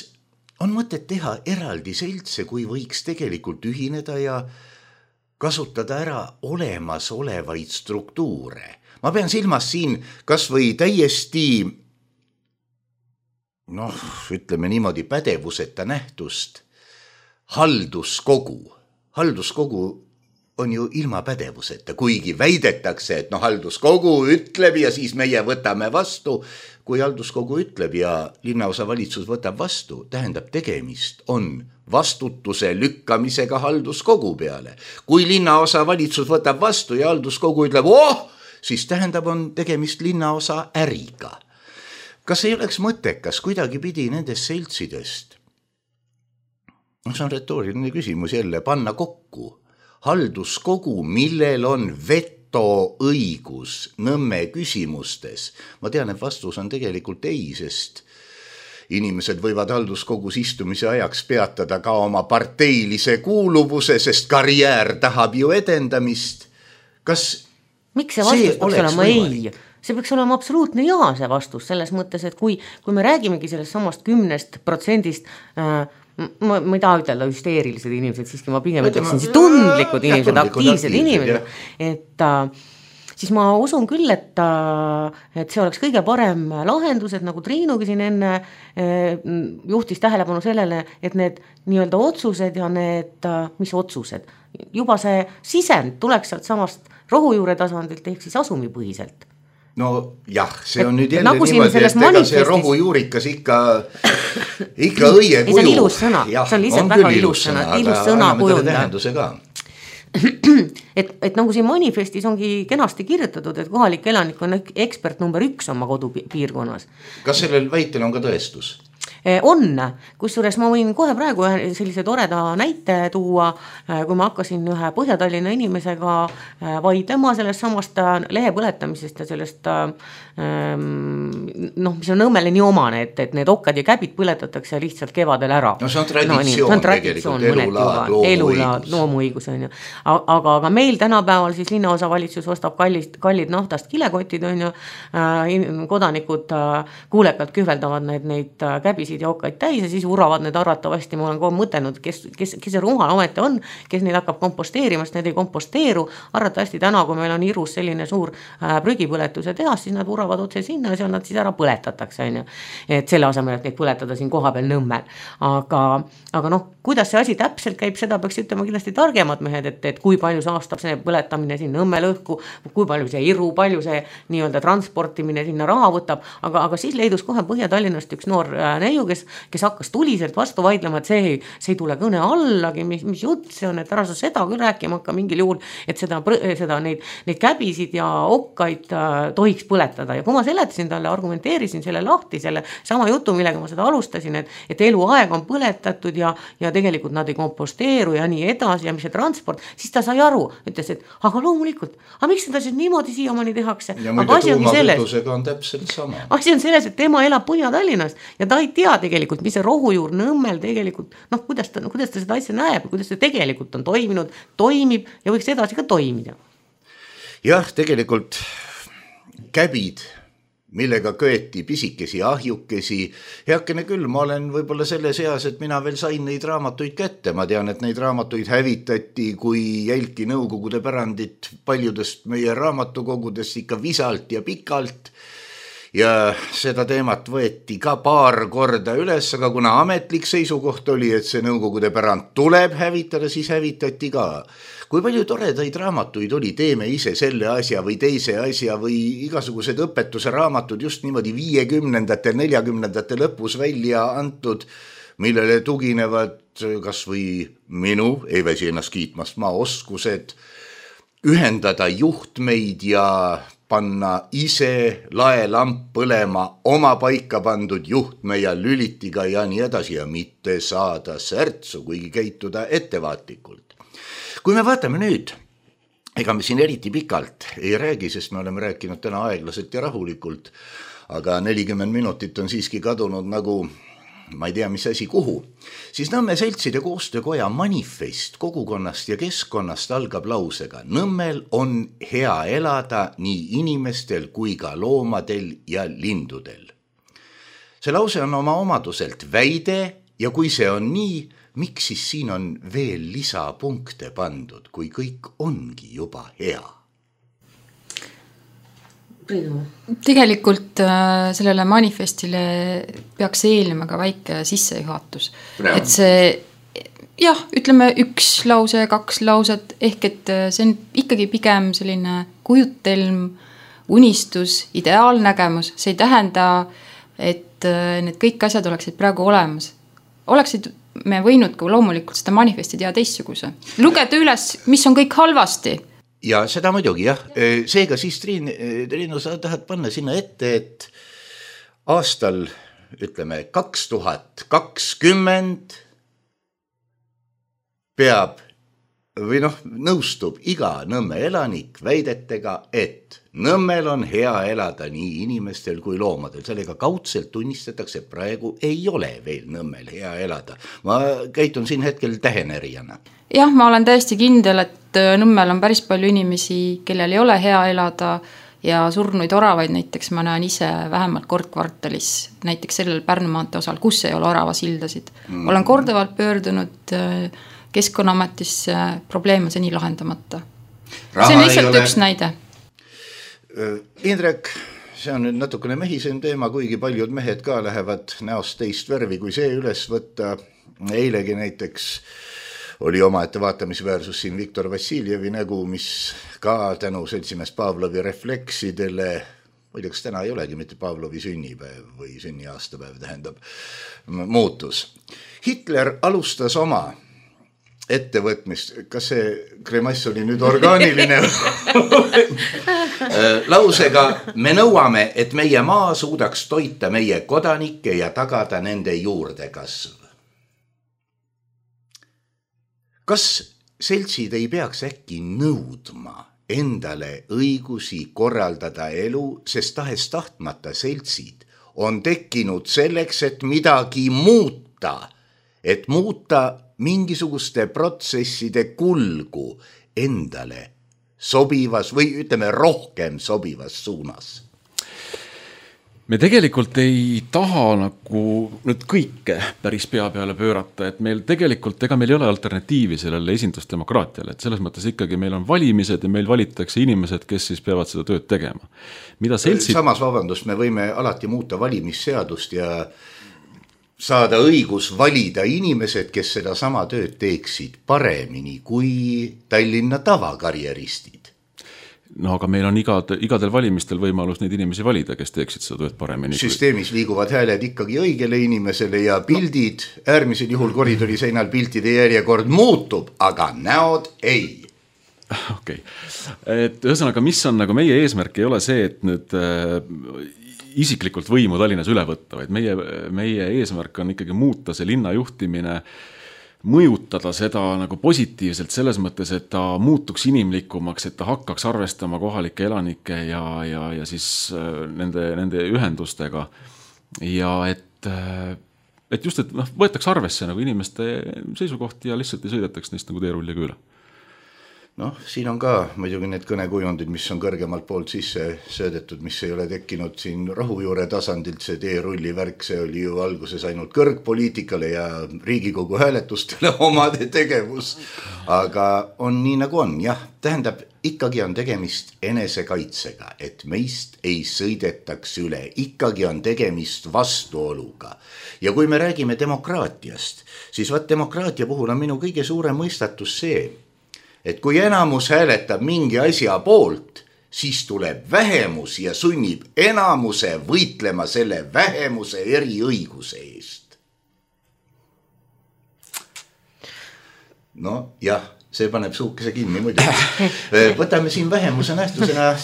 on mõtet teha eraldi seltse, kui võiks tegelikult ühineda ja kasutada ära olemasolevaid struktuure? Ma pean silmas siin kas või täiesti, noh, ütleme niimoodi pädevuseta nähtust, halduskogu. Halduskogu on ju ilma pädevuseta, kuigi väidetakse, et no halduskogu ütleb ja siis meie võtame vastu. Kui halduskogu ütleb ja linnaosa valitsus võtab vastu, tähendab tegemist on vastutuse lükkamisega halduskogu peale. Kui linnaosa valitsus võtab vastu ja halduskogu ütleb, oh, siis tähendab on tegemist linnaosa äriga. Kas ei oleks mõttekas kuidagi pidi nendest seltsidest? See on retooriline küsimus jälle, panna kokku halduskogu, millel on vetoõigus Nõmme küsimustes. Ma tean, et vastus on tegelikult ei, sest inimesed võivad halduskogus istumise ajaks peatada ka oma parteilise kuuluvuse, sest karjäär tahab ju edendamist. Kas miks see vastus peaks olema ei? See peaks olema absoluutne jaa see vastus, selles mõttes, et kui, kui me räägimegi sellest samast kümnest protsendist äh, ma, ma ei taha ütelda hüsteerilised inimesed, siiski ma pigem ütleksin siis tundlikud inimesed, aktiivsed inimesed, et siis ma usun küll, et, et see oleks kõige parem lahendus, et nagu Triinugi siin enne juhtis tähelepanu sellele, et need nii-öelda otsused ja need, mis otsused, juba see sisend tuleks sealt samast rohujuure tasandilt ehk siis asumipõhiselt. No jah, see on et, nüüd jälle nagu niimoodi, et ega see rohujuurikas ikka, ikka õie kuju. See on ilus sõna, ja, see on lihtsalt väga ilus sõna, ilus sõna kujunda. Et, et nagu siin manifestis ongi kenasti kirjutatud, et kohalik elanik on ekspert number üks oma kodupiirkonnas. Kas sellel väitel on ka tõestus? on, kusjuures ma võin kohe praegu sellise toreda näite tuua, kui ma hakkasin ühe Põhja-Tallinna inimesega vaidlema sellest samast lehe põletamisest ja sellest noh, mis on Nõmmele nii omane, et, et need okkad ja käbid põletatakse lihtsalt kevadel ära. No see on traditsioon, no, tegelikult, elulaad, loomuõigus. loomuõigus on ju. Aga, aga meil tänapäeval siis linnaosavalitsus ostab kallist, kallid naftast kilekotid on ju, kodanikud kuulekalt kühveldavad need, neid käbisid ja okkaid täis ja siis uravad need arvatavasti, ma olen kogu mõtelnud, kes, kes, kes see rumal ometi on, kes neid hakkab komposteerima, sest need ei komposteeru, arvatavasti täna, kui meil on Irus selline suur prügipõletuse tehas, siis nad uravad otse sinna ja seal nad siis ära põletatakse, on ju. Et selle asemel, et neid põletada siin koha peal Nõmmel. Aga, aga noh, kuidas see asi täpselt käib, seda peaks ütlema kindlasti targemad mehed, et, et kui palju saastab see põletamine siin Nõmmel õhku, kui palju see Iru, palju see nii-öelda transportimine sinna raha võtab, aga, aga siis leidus kohe Põhja-Tallinnast üks noor neiu, kes, kes hakkas tuliselt vastu vaidlema, et see, see ei tule kõne allagi, mis, mis jutt see on, et ära sa seda küll rääkima hakka mingil juhul, et seda, seda neid, neid käbisid ja okkaid äh, tohiks põletada ja kui ma seletasin talle, argumenteerisin selle lahti, selle sama jutu, millega ma seda alustasin, et, et eluaeg on põletatud ja, ja tegelikult nad ei komposteeru ja nii edasi ja mis see transport, siis ta sai aru, ütles, et aga loomulikult, aga miks seda siis niimoodi siiamaani tehakse? Ja muide tuumakütusega on täpselt sama. Asi on selles, et tema elab Põhja-Tallinnas ja ta ei tea tegelikult, mis see rohujuur Nõmmel tegelikult, noh, kuidas ta, kuidas ta seda asja näeb, kuidas see tegelikult on toiminud, toimib ja võiks edasi ka toimida. Jah, tegelikult käbid, millega köeti pisikesi ahjukesi, heakene küll, ma olen võib-olla selles eas, et mina veel sain neid raamatuid kätte, ma tean, et neid raamatuid hävitati, kui jälki nõukogude pärandit paljudest meie raamatukogudest ikka visalt ja pikalt ja seda teemat võeti ka paar korda üles, aga kuna ametlik seisukoht oli, et see nõukogude pärand tuleb hävitada, siis hävitati ka. Kui palju toredaid raamatuid oli, teeme ise selle asja või teise asja või igasugused õpetuse raamatud just niimoodi viiekümnendate, neljakümnendate lõpus välja antud, millele tuginevad kas või minu, ei väsi ennast kiitmast, ma oskused ühendada juhtmeid ja panna ise laelamp põlema oma paika pandud juhtme ja lülitiga ja nii edasi ja mitte saada särtsu, kuigi käituda ettevaatlikult. Kui me vaatame nüüd, ega me siin eriti pikalt ei räägi, sest me oleme rääkinud täna aeglaselt ja rahulikult, aga nelikümmend minutit on siiski kadunud nagu, ma ei tea, mis asi kuhu, siis Nõmme seltside koostöökoja manifest kogukonnast ja keskkonnast algab lausega: Nõmmel on hea elada nii inimestel kui ka loomadel ja lindudel. See lause on oma omaduselt väide ja kui see on nii, miks siis siin on veel lisapunkte pandud, kui kõik ongi juba hea? Tegelikult äh, sellele manifestile peaks eelnema ka väike sissejuhatus. Et see, jah, ütleme üks lause, kaks lauset, ehk et see on ikkagi pigem selline kujutelm, unistus, ideaalnägemus. See ei tähenda, et need kõik asjad oleksid praegu olemas. Oleksid me võinud ka loomulikult seda manifesti teha teistsuguse. Lugeda üles, mis on kõik halvasti. Ja seda muidugi, jah. Seega siis, Triin, Triinu, sa tahad panna sinna ette, et aastal, ütleme, kaks tuhat kakskümmend peab või noh, nõustub iga Nõmme elanik väidetega, et Nõmmel on hea elada nii inimestel kui loomadel. Sellega kaudselt tunnistatakse, et praegu ei ole veel Nõmmel hea elada. Ma käitun siin hetkel tähenerijana. Jah, ma olen täiesti kindel, et Nõmmel on päris palju inimesi, kellel ei ole hea elada ja surnuid oravaid näiteks ma näen ise vähemalt kord kvartalis, näiteks sellel Pärnu maantee osal, kus ei ole oravasildasid. Mm. Olen korduvalt pöördunud Keskkonnaametisse, probleem on seni lahendamata. Raha see on lihtsalt üks näide. Indrek, see on nüüd natukene mehisem teema, kuigi paljud mehed ka lähevad näost teist värvi, kui see üles võtta. Eilegi näiteks oli omaette vaatamisväärsus siin Viktor Vassiljevi nägu, mis ka tänu seltsimees Pavlovi refleksidele, muide, kas täna ei olegi mitte Pavlovi sünnipäev või sünniaastapäev tähendab, muutus. Hitler alustas oma ettevõtmist, kas see kremass oli nüüd orgaaniline lausega, me nõuame, et meie maa suudaks toita meie kodanikke ja tagada nende juurdekasv. Kas seltsid ei peaks äkki nõudma endale õigusi korraldada elu, sest tahes tahtmata seltsid on tekkinud selleks, et midagi muuta, et muuta mingisuguste protsesside kulgu endale sobivas või ütleme rohkem sobivas suunas? Me tegelikult ei taha nagu nüüd kõike päris pea peale pöörata, et meil tegelikult, ega meil ei ole alternatiivi sellele esindusdemokraatiale, et selles mõttes ikkagi meil on valimised ja meil valitakse inimesed, kes siis peavad seda tööd tegema. Mida seltsid... Samas, vabandust, me võime alati muuta valimisseadust ja saada õigus valida inimesed, kes seda sama tööd teeksid paremini kui Tallinna tavakarjeristid. No aga meil on igad, igadel valimistel võimalus neid inimesi valida, kes teeksid seda tööd paremini. Süsteemis liiguvad hääled ikkagi õigele inimesele ja pildid, äärmisel juhul koridori seinal piltide järjekord muutub, aga näod ei. Okei. Okay. Et ühesõnaga, mis on nagu meie eesmärk ei ole see, et nüüd äh, isiklikult võimu Tallinnas üle võtta, vaid meie, meie eesmärk on ikkagi muuta see linna juhtimine, mõjutada seda nagu positiivselt selles mõttes, et ta muutuks inimlikumaks, et ta hakkaks arvestama kohalike elanike ja, ja, ja siis nende, nende ühendustega ja et, et just, et noh, võetaks arvesse nagu inimeste seisukohti ja lihtsalt ei sõidetaks neist nagu teerulliga üle. Noh, siin on ka muidugi need kõnekujundid, mis on kõrgemalt poolt sisse söödetud, mis ei ole tekkinud siin rahujuure tasandilt, see teerulli värk, see oli ju alguses ainult kõrgpoliitikale ja Riigikogu hääletustele omade tegevus. Aga on nii nagu on, jah, tähendab, ikkagi on tegemist enesekaitsega, et meist ei sõidetaks üle, ikkagi on tegemist vastuoluga. Ja kui me räägime demokraatiast, siis vaat demokraatia puhul on minu kõige suurem mõistatus see, et kui enamus hääletab mingi asja poolt, siis tuleb vähemus ja sunnib enamuse võitlema selle vähemuse eriõiguse eest. No jah, see paneb suukese kinni muidugi. Võtame siin vähemuse nähtusena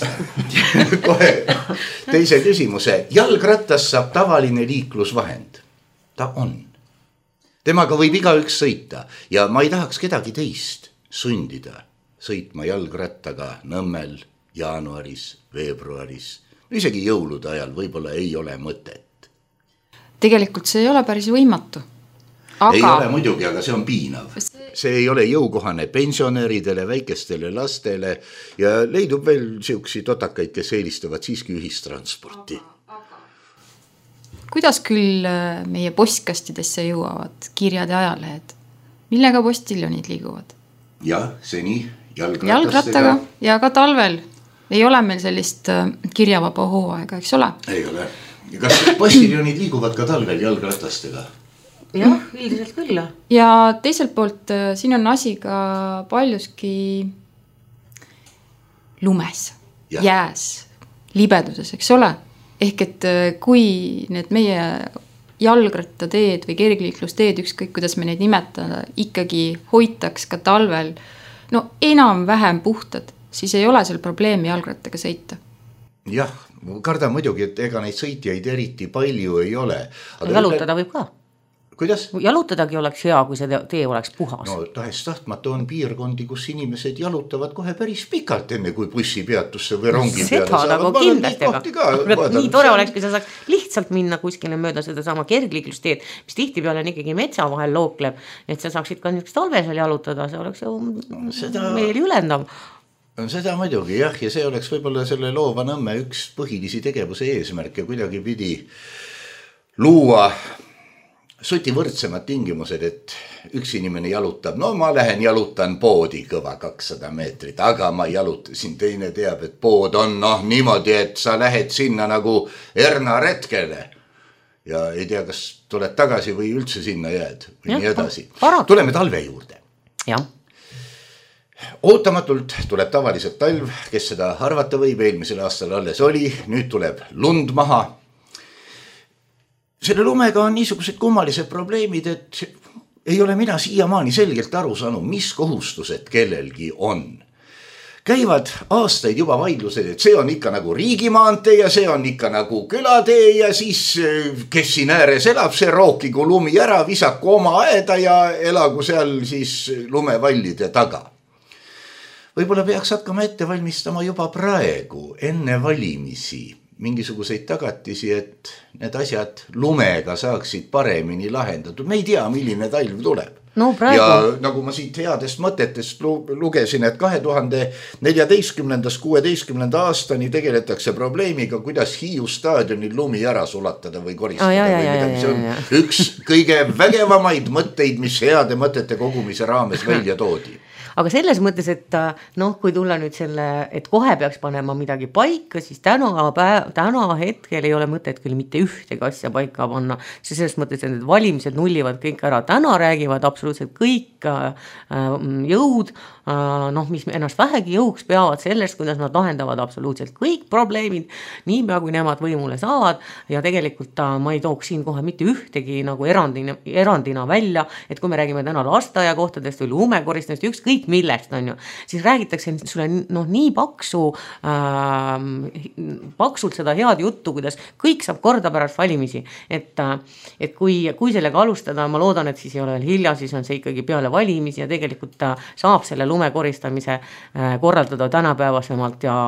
kohe teise küsimuse. Jalgrattas saab tavaline liiklusvahend. Ta on. Temaga võib igaüks sõita ja ma ei tahaks kedagi teist sundida sõitma jalgrattaga Nõmmel jaanuaris, veebruaris, isegi jõulude ajal võib-olla ei ole mõtet. Tegelikult see ei ole päris võimatu. Aga... Ei ole muidugi, aga see on piinav. See ei ole jõukohane pensionäridele, väikestele lastele ja leidub veel siuksi totakaid, kes eelistavad siiski ühistransporti. Kuidas küll meie postkastidesse jõuavad kirjad ja ajalehed? Millega postiljonid liiguvad? Jah, seni jalgratastega. Jalgrattaga ja ka talvel ei ole meil sellist kirjavaba hooaega, eks ole? Ei ole. Kas postiljonid liiguvad ka talvel jalgratastega? Jah, üldiselt küll. Ja teiselt poolt siin on asi ka paljuski lumes, ja. Jääs, libeduses, eks ole? Ehk et kui need meie jalgrattateed või kergliiklusteed, ükskõik kuidas me neid nimetada, ikkagi hoitaks ka talvel, no enam vähem puhtad, siis ei ole seal probleemi jalgrattaga sõita. Jah, kardan muidugi, et ega neid sõitjaid eriti palju ei ole. Aga jalutada võib ka. Kuidas? Jalutadagi oleks hea, kui see tee oleks puhas. No tahes tahtmata on piirkondi, kus inimesed jalutavad kohe päris pikalt enne, kui bussipeatusse või rongi peale saavad. Seda nagu kindlasti, aga nii tore oleks, kui sa saaks lihtsalt minna kuskile mööda seda sama kergliiklusteed, mis tihtipeale on ikkagi metsa vahel lookleb, et sa saaksid ka niisugust talvesel jalutada, see oleks ju no, seda... meil ülendav. Seda muidugi, jah, ja see oleks võib-olla selle Loova Nõmme üks põhilisi tegevuse eesmärke kuidagi pidi luua suti võrdsemad tingimused, et üks inimene jalutab, no ma lähen jalutan poodi kõva kakssada meetrit, aga ma jalutasin, teine teab, et pood on noh niimoodi, et sa lähed sinna nagu Erna retkele ja ei tea, kas tuled tagasi või üldse sinna jääd või ja, nii edasi. Parat. Tuleme talve juurde. Jah. Ootamatult tuleb tavaliselt talv, kes seda arvata võib, eelmisel aastal alles oli, nüüd tuleb lund maha. Selle lumega on niisugused kummalised probleemid, et ei ole mina siiamaani selgelt aru saanud, mis kohustused kellelgi on. Käivad aastaid juba vaidlused, et see on ikka nagu riigimaantee ja see on ikka nagu külatee ja siis kes siin ääres elab, see rookigu lumi ära, visaku oma aeda ja elagu seal siis lumevallide taga. Võib-olla peaks hakkama ette valmistama juba praegu, enne valimisi, mingisuguseid tagatisi, et need asjad lumega saaksid paremini lahendatud. Me ei tea, milline talv tuleb. No, praegu... Ja nagu ma siit headest mõtetest lugesin, et kahe tuhande neljateistkümnendast kuueteistkümnenda aastani tegeletakse probleemiga, kuidas Hiiu staadionil lumi ära sulatada või koristada. Ah, ja, ja, või ja, midagi. ja, See on ja, ja. üks kõige vägevamaid mõtteid, mis heade mõtete kogumise raames välja toodi. Aga selles mõttes, et noh, kui tulla nüüd selle, et kohe peaks panema midagi paika, siis täna, päev, täna hetkel ei ole mõtet küll mitte ühtegi asja paika panna. See selles mõttes, et need valimised nullivad kõik ära. Täna räägivad absoluutselt kõik jõud, noh, mis ennast vähegi jõuks peavad sellest, kuidas nad lahendavad absoluutselt kõik probleemid, niipea kui nemad võimule saavad. Ja tegelikult ma ei tooks siin kohe mitte ühtegi nagu erandina, erandina välja, et kui me räägime täna lasteaia kohtadest või lumekoristest, üks kõik millest on ju, siis räägitakse sulle noh, nii paksu äh, paksult seda head juttu, kuidas kõik saab korda pärast valimisi, et, et kui, kui sellega alustada, ma loodan, et siis ei ole veel hilja, siis on see ikkagi peale valimisi ja tegelikult saab selle lumekoristamise äh, korraldada tänapäevasemalt ja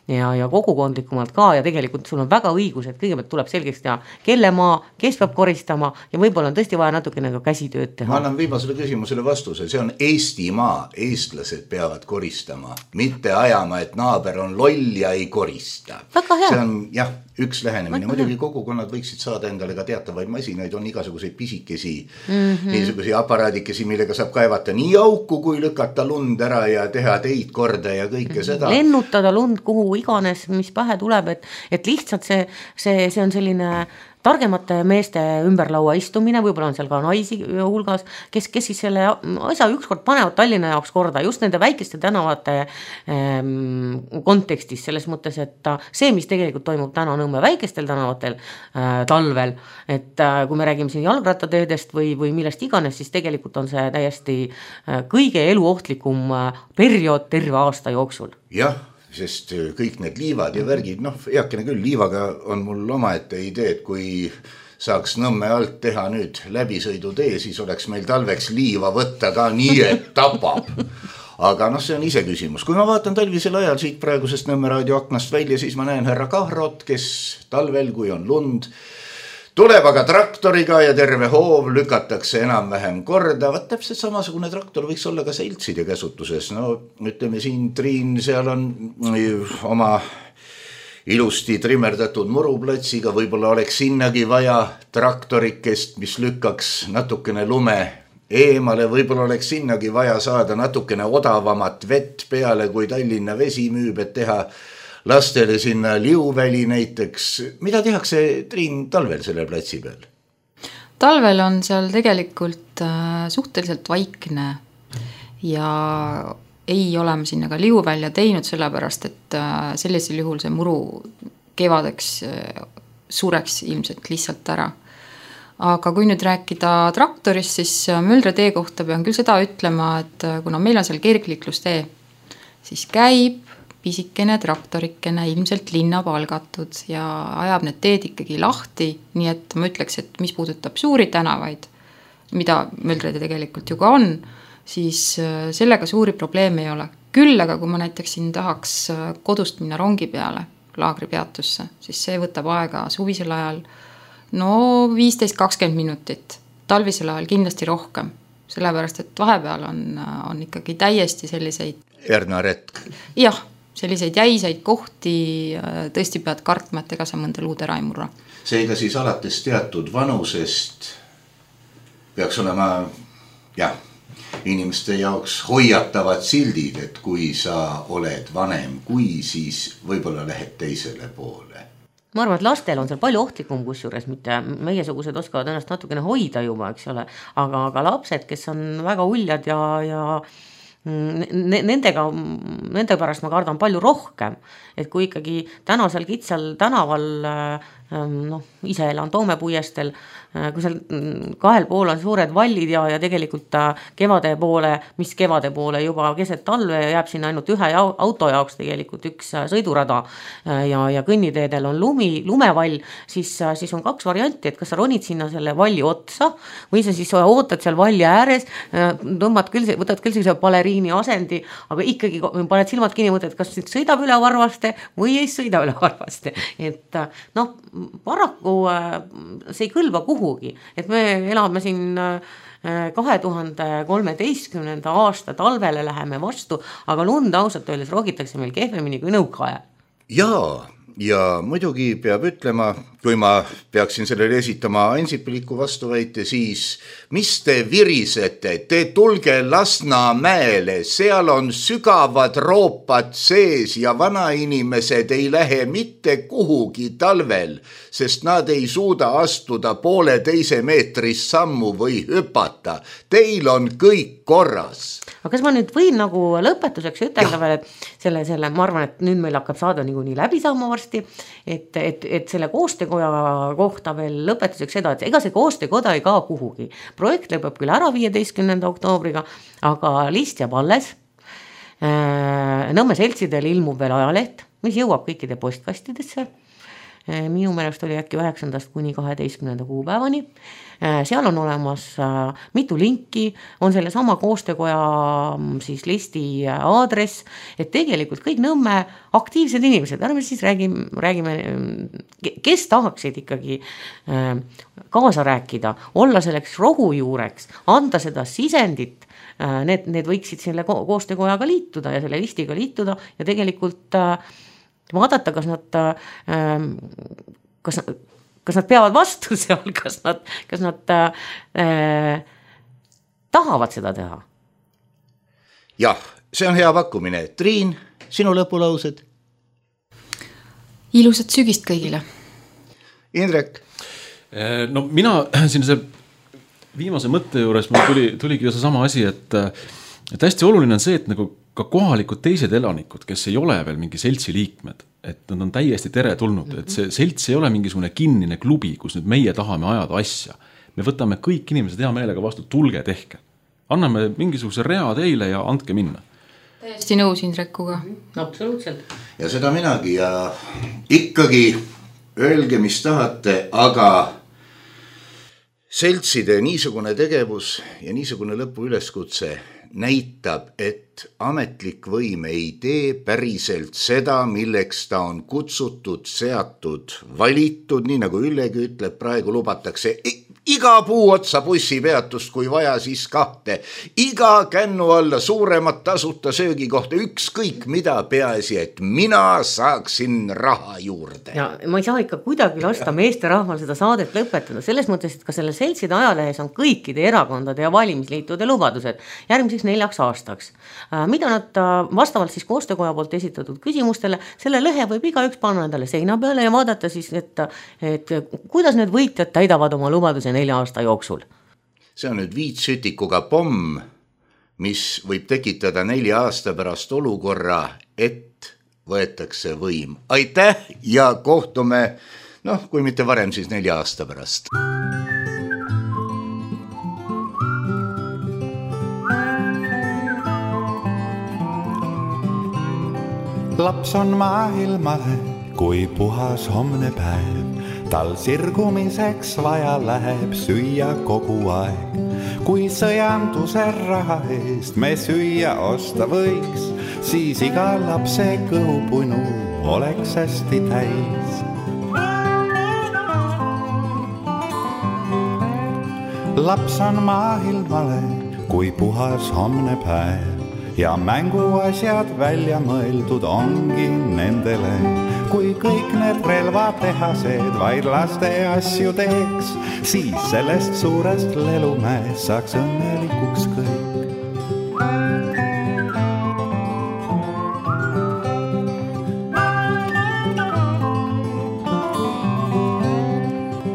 Ja, ja kogukondlikumalt ka ja tegelikult sul on väga õigus, et kõigepealt tuleb selgeks teha, kelle maa, kes peab koristama ja võib-olla on tõesti vaja natukene ka käsitööd teha. Ma annan viimasele küsimusele vastuse, see on Eesti maa, eestlased peavad koristama, mitte ajama, et naaber on loll ja ei korista. Väga hea. See on jah, üks lähenemine, muidugi kogukonnad võiksid saada endale ka teatavaid masinaid, on igasuguseid pisikesi, mm-hmm. niisuguseid aparaadikesi, millega saab kaevata nii auku, kui lükata lund ära ja teha teid korda ja kõike mm-hmm. seda. Lennutada lund kuhu iganes, mis pähe tuleb, et, et lihtsalt see, see, see on selline targemate meeste ümberlaua istumine, võib-olla on seal ka naisi hulgas, kes, kes siis selle asja ükskord panevad Tallinna jaoks korda, just nende väikeste tänavate ähm, kontekstis, selles mõttes, et see, mis tegelikult toimub täna Nõmme väikestel tänavatel äh, talvel, et äh, kui me räägime siin jalgrattateedest või, või millest iganes, siis tegelikult on see täiesti äh, kõige eluohtlikum äh, periood terve aasta jooksul. Jah, sest kõik need liivad ja värgid, noh, eakene küll, liivaga on mul omaette idee, et kui saaks Nõmme alt teha nüüd läbisõidutee, siis oleks meil talveks liiva võtta ka nii, et tapab. Aga noh, see on ise küsimus. Kui ma vaatan talvisel ajal siit praegusest Nõmme raadio aknast välja, siis ma näen härra Kahrot, kes talvel, kui on lund, tuleb aga traktoriga ja terve hoov lükatakse enam-vähem korda. Vaat täpselt samasugune traktor võiks olla ka seltside käsutuses. No ütleme siin, Triin, seal on oma ilusti trimmerdatud muruplatsiga, võib-olla oleks sinnagi vaja traktorikest, mis lükkaks natukene lume eemale, võib-olla oleks sinnagi vaja saada natukene odavamat vett peale, kui Tallinna vesi müüb, et teha lastele sinna liuväli näiteks. Mida tehakse, Triin, talvel selle platsi peal? Talvel on seal tegelikult suhteliselt vaikne ja ei ole me sinna ka liuvälja teinud, sellepärast, et sellisel juhul see muru kevadeks sureks ilmselt lihtsalt ära. Aga kui nüüd rääkida traktorist, siis Möldre tee kohta pean küll seda ütlema, et kuna meil on seal kergliiklustee, siis käib pisikene traktorikene ilmselt linna palgatud ja ajab need teed ikkagi lahti, nii et ma ütleks, et mis puudutab suuri tänavaid, mida Möldrede tegelikult ju ka on, siis sellega suuri probleeme ei ole. Küll aga kui ma näiteks siin tahaks kodust minna rongi peale, laagripeatusse, siis see võtab aega suvisel ajal no viisteist kakskümmend minutit, talvisel ajal kindlasti rohkem, sellepärast, et vahepeal on, on ikkagi täiesti selliseid Ernaretk. Jah, selliseid jäiseid kohti tõesti pead kartma, et ega sa mõnda luud ära ei murra. Seega siis alates teatud vanusest peaks olema jah, inimeste jaoks hoiatavad sildid, et kui sa oled vanem, kui siis võib-olla lähed teisele poole. Ma arvan, et lastel on seal palju ohtlikum kusjuures, mitte meiesugused oskavad ennast natukene hoida juba, eks ole, aga, aga lapsed, kes on väga uljad ja, ja nendega, nende pärast ma kardan palju rohkem, et kui ikkagi tänasel kitsal tänaval noh, ise elan Toomepuiestel, kui seal kahel pool on suured vallid ja, ja tegelikult kevade poole, mis kevade poole juba keset talve ja jääb sinna ainult ühe auto jaoks tegelikult üks sõidurada ja, ja kõnniteedel on lumi, lumevall, siis, siis on kaks varianti, et kas sa ronid sinna selle valli otsa või sa siis ootad seal valli ääres, tõmbad küll, võtad küll sellise baleriini asendi, aga ikkagi paned silmad kinni, mõtled, kas nüüd sõidab üle varvaste või ei sõida üle varvaste, et noh, paraku see ei kõlba kuhugi, et me elame siin kahe tuhande kolmeteistkümnenda aasta talvele läheme vastu, aga lund ausalt öeldes rogitakse meil kehvemini kui nõukaajal. Jaa, ja muidugi peab ütlema, kui ma peaksin sellele esitama Ansipiliku vastuväite, siis mis te virisete, te tulge Lasnamäele, seal on sügavad roopad sees ja vanainimesed ei lähe mitte kuhugi talvel, sest nad ei suuda astuda poole teise meetrist sammu või hüpata. Teil on kõik korras. Aga kas ma nüüd võin nagu lõpetuseks ütelda veel, et selle, selle, ma arvan, et nüüd meil hakkab saada nagu nii läbi saama varsti, et, et, et selle koostekoja kohta veel lõpetuseks seda, et ega see koostekoda ei kao kuhugi. Projekt lõpeb küll ära viieteistkümnenda oktoobriga, aga list jääb alles. Nõmme seltsidel ilmub veel ajaleht, mis jõuab kõikide postkastidesse. Minu meelest oli äkki üheksandast kuni kaheteistkümnenda kuupäevani. Seal on olemas mitu linki, on selle sama koostekoja siis listi aadress, et tegelikult kõik Nõmme aktiivsed inimesed, ärme siis räägime, räägime, kes tahaksid ikkagi kaasa rääkida, olla selleks rohujuureks, anda seda sisendit, need, need võiksid selle koostekojaga liituda ja selle listiga liituda ja tegelikult vaadata, kas nad, kas, kas nad peavad vastu seal, kas nad, kas nad äh, tahavad seda teha. Jah, see on hea pakkumine. Triin, sinu lõpulaused? Ilusat sügist kõigile. Indrek? No mina siin see viimase mõtte juures mul tuli, tuligi see sama asi, et, et hästi oluline on see, et nagu ka kohalikud teised elanikud, kes ei ole veel mingi seltsi liikmed, et nad on täiesti tere tulnud, et see selts ei ole mingisugune kinnine klubi, kus nüüd meie tahame ajada asja. Me võtame kõik inimesed hea meelega vastu, tulge tehke. Anname mingisuguse rea teile ja andke minna. Täiesti nõus Indrekuga. Absoluutselt. Ja seda minagi ja ikkagi öelge, mis tahate, aga seltside niisugune tegevus ja niisugune lõpu üleskutse näitab, et ametlik võim ei tee päriselt seda, milleks ta on kutsutud, seatud, valitud, nii nagu Üllegi ütleb, praegu lubatakse iga puu otsa bussipeatust, kui vaja, siis kahte. Iga kännu alla suuremat tasuta söögikohta, ükskõik mida, peaasi, et mina saaksin raha juurde. Ja ma ei saa ikka kuidagi lasta meeste rahval seda saadet lõpetada, selles mõttes, et ka selle seltside ajalehes on kõikide erakondade ja valimisliitude lubadused järgmiseks neljaks aastaks. Mida nad vastavalt siis koostekoja poolt esitatud küsimustele, selle lõhe võib iga üks panna endale seina peale ja vaadata siis, et, et kuidas need võitjad täidavad oma lubaduse nelja aasta jooksul. See on nüüd viitsütikuga pomm, mis võib tekitada nelja aasta pärast olukorra, et võetakse võim. Aitäh ja kohtume, noh, kui mitte varem, siis nelja aasta pärast. Laps on maailmale, kui puhas homne päev. Tal sirgumiseks vaja läheb süüa kogu aeg. Kui sõjanduse raha eest me süüa osta võiks, siis iga lapse kõhupunu oleks hästi täis. Laps on maailmale, kui puhas homne päev. Ja mänguasjad välja mõeldud ongi nendele. Kui kõik need relvatehased vaid laste asju teeks, siis sellest suurest lelumäe saaks õnnelikuks kõik.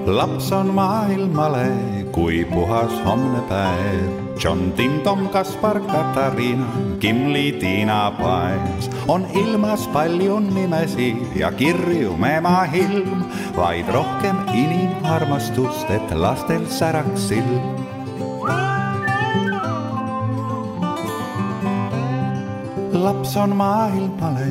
Laps on maailmale, kui puhas homne päev. John Tindom, Kaspar, Katariina, Kimli, Tiina, Paes. On ilmas palju nimesi ja kirju mema ilm, vaid rohkem inimarmastust, et lastel säraks silm. Laps on maailmale,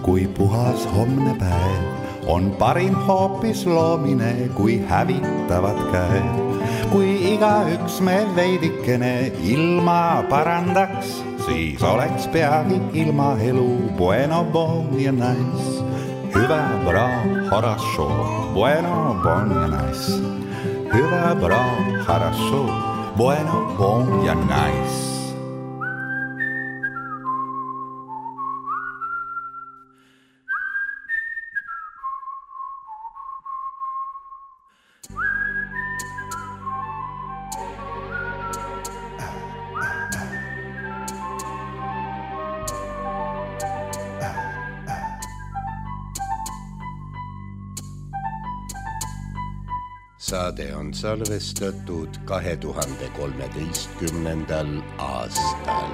kui puhas homne päev. On parim hoopis loomine, kui hävitavad käed. Kui igaüks me veidikene ilma parandaks, siis oleks peagi ilma elu bueno, bon ja nice. Hyvä, bra, хорошо, bueno, bon ja nice. Hyvä, bra, хорошо, bueno, bon ja nice. Saade on salvestatud kahe tuhande kolmeteistkümnendal aastal.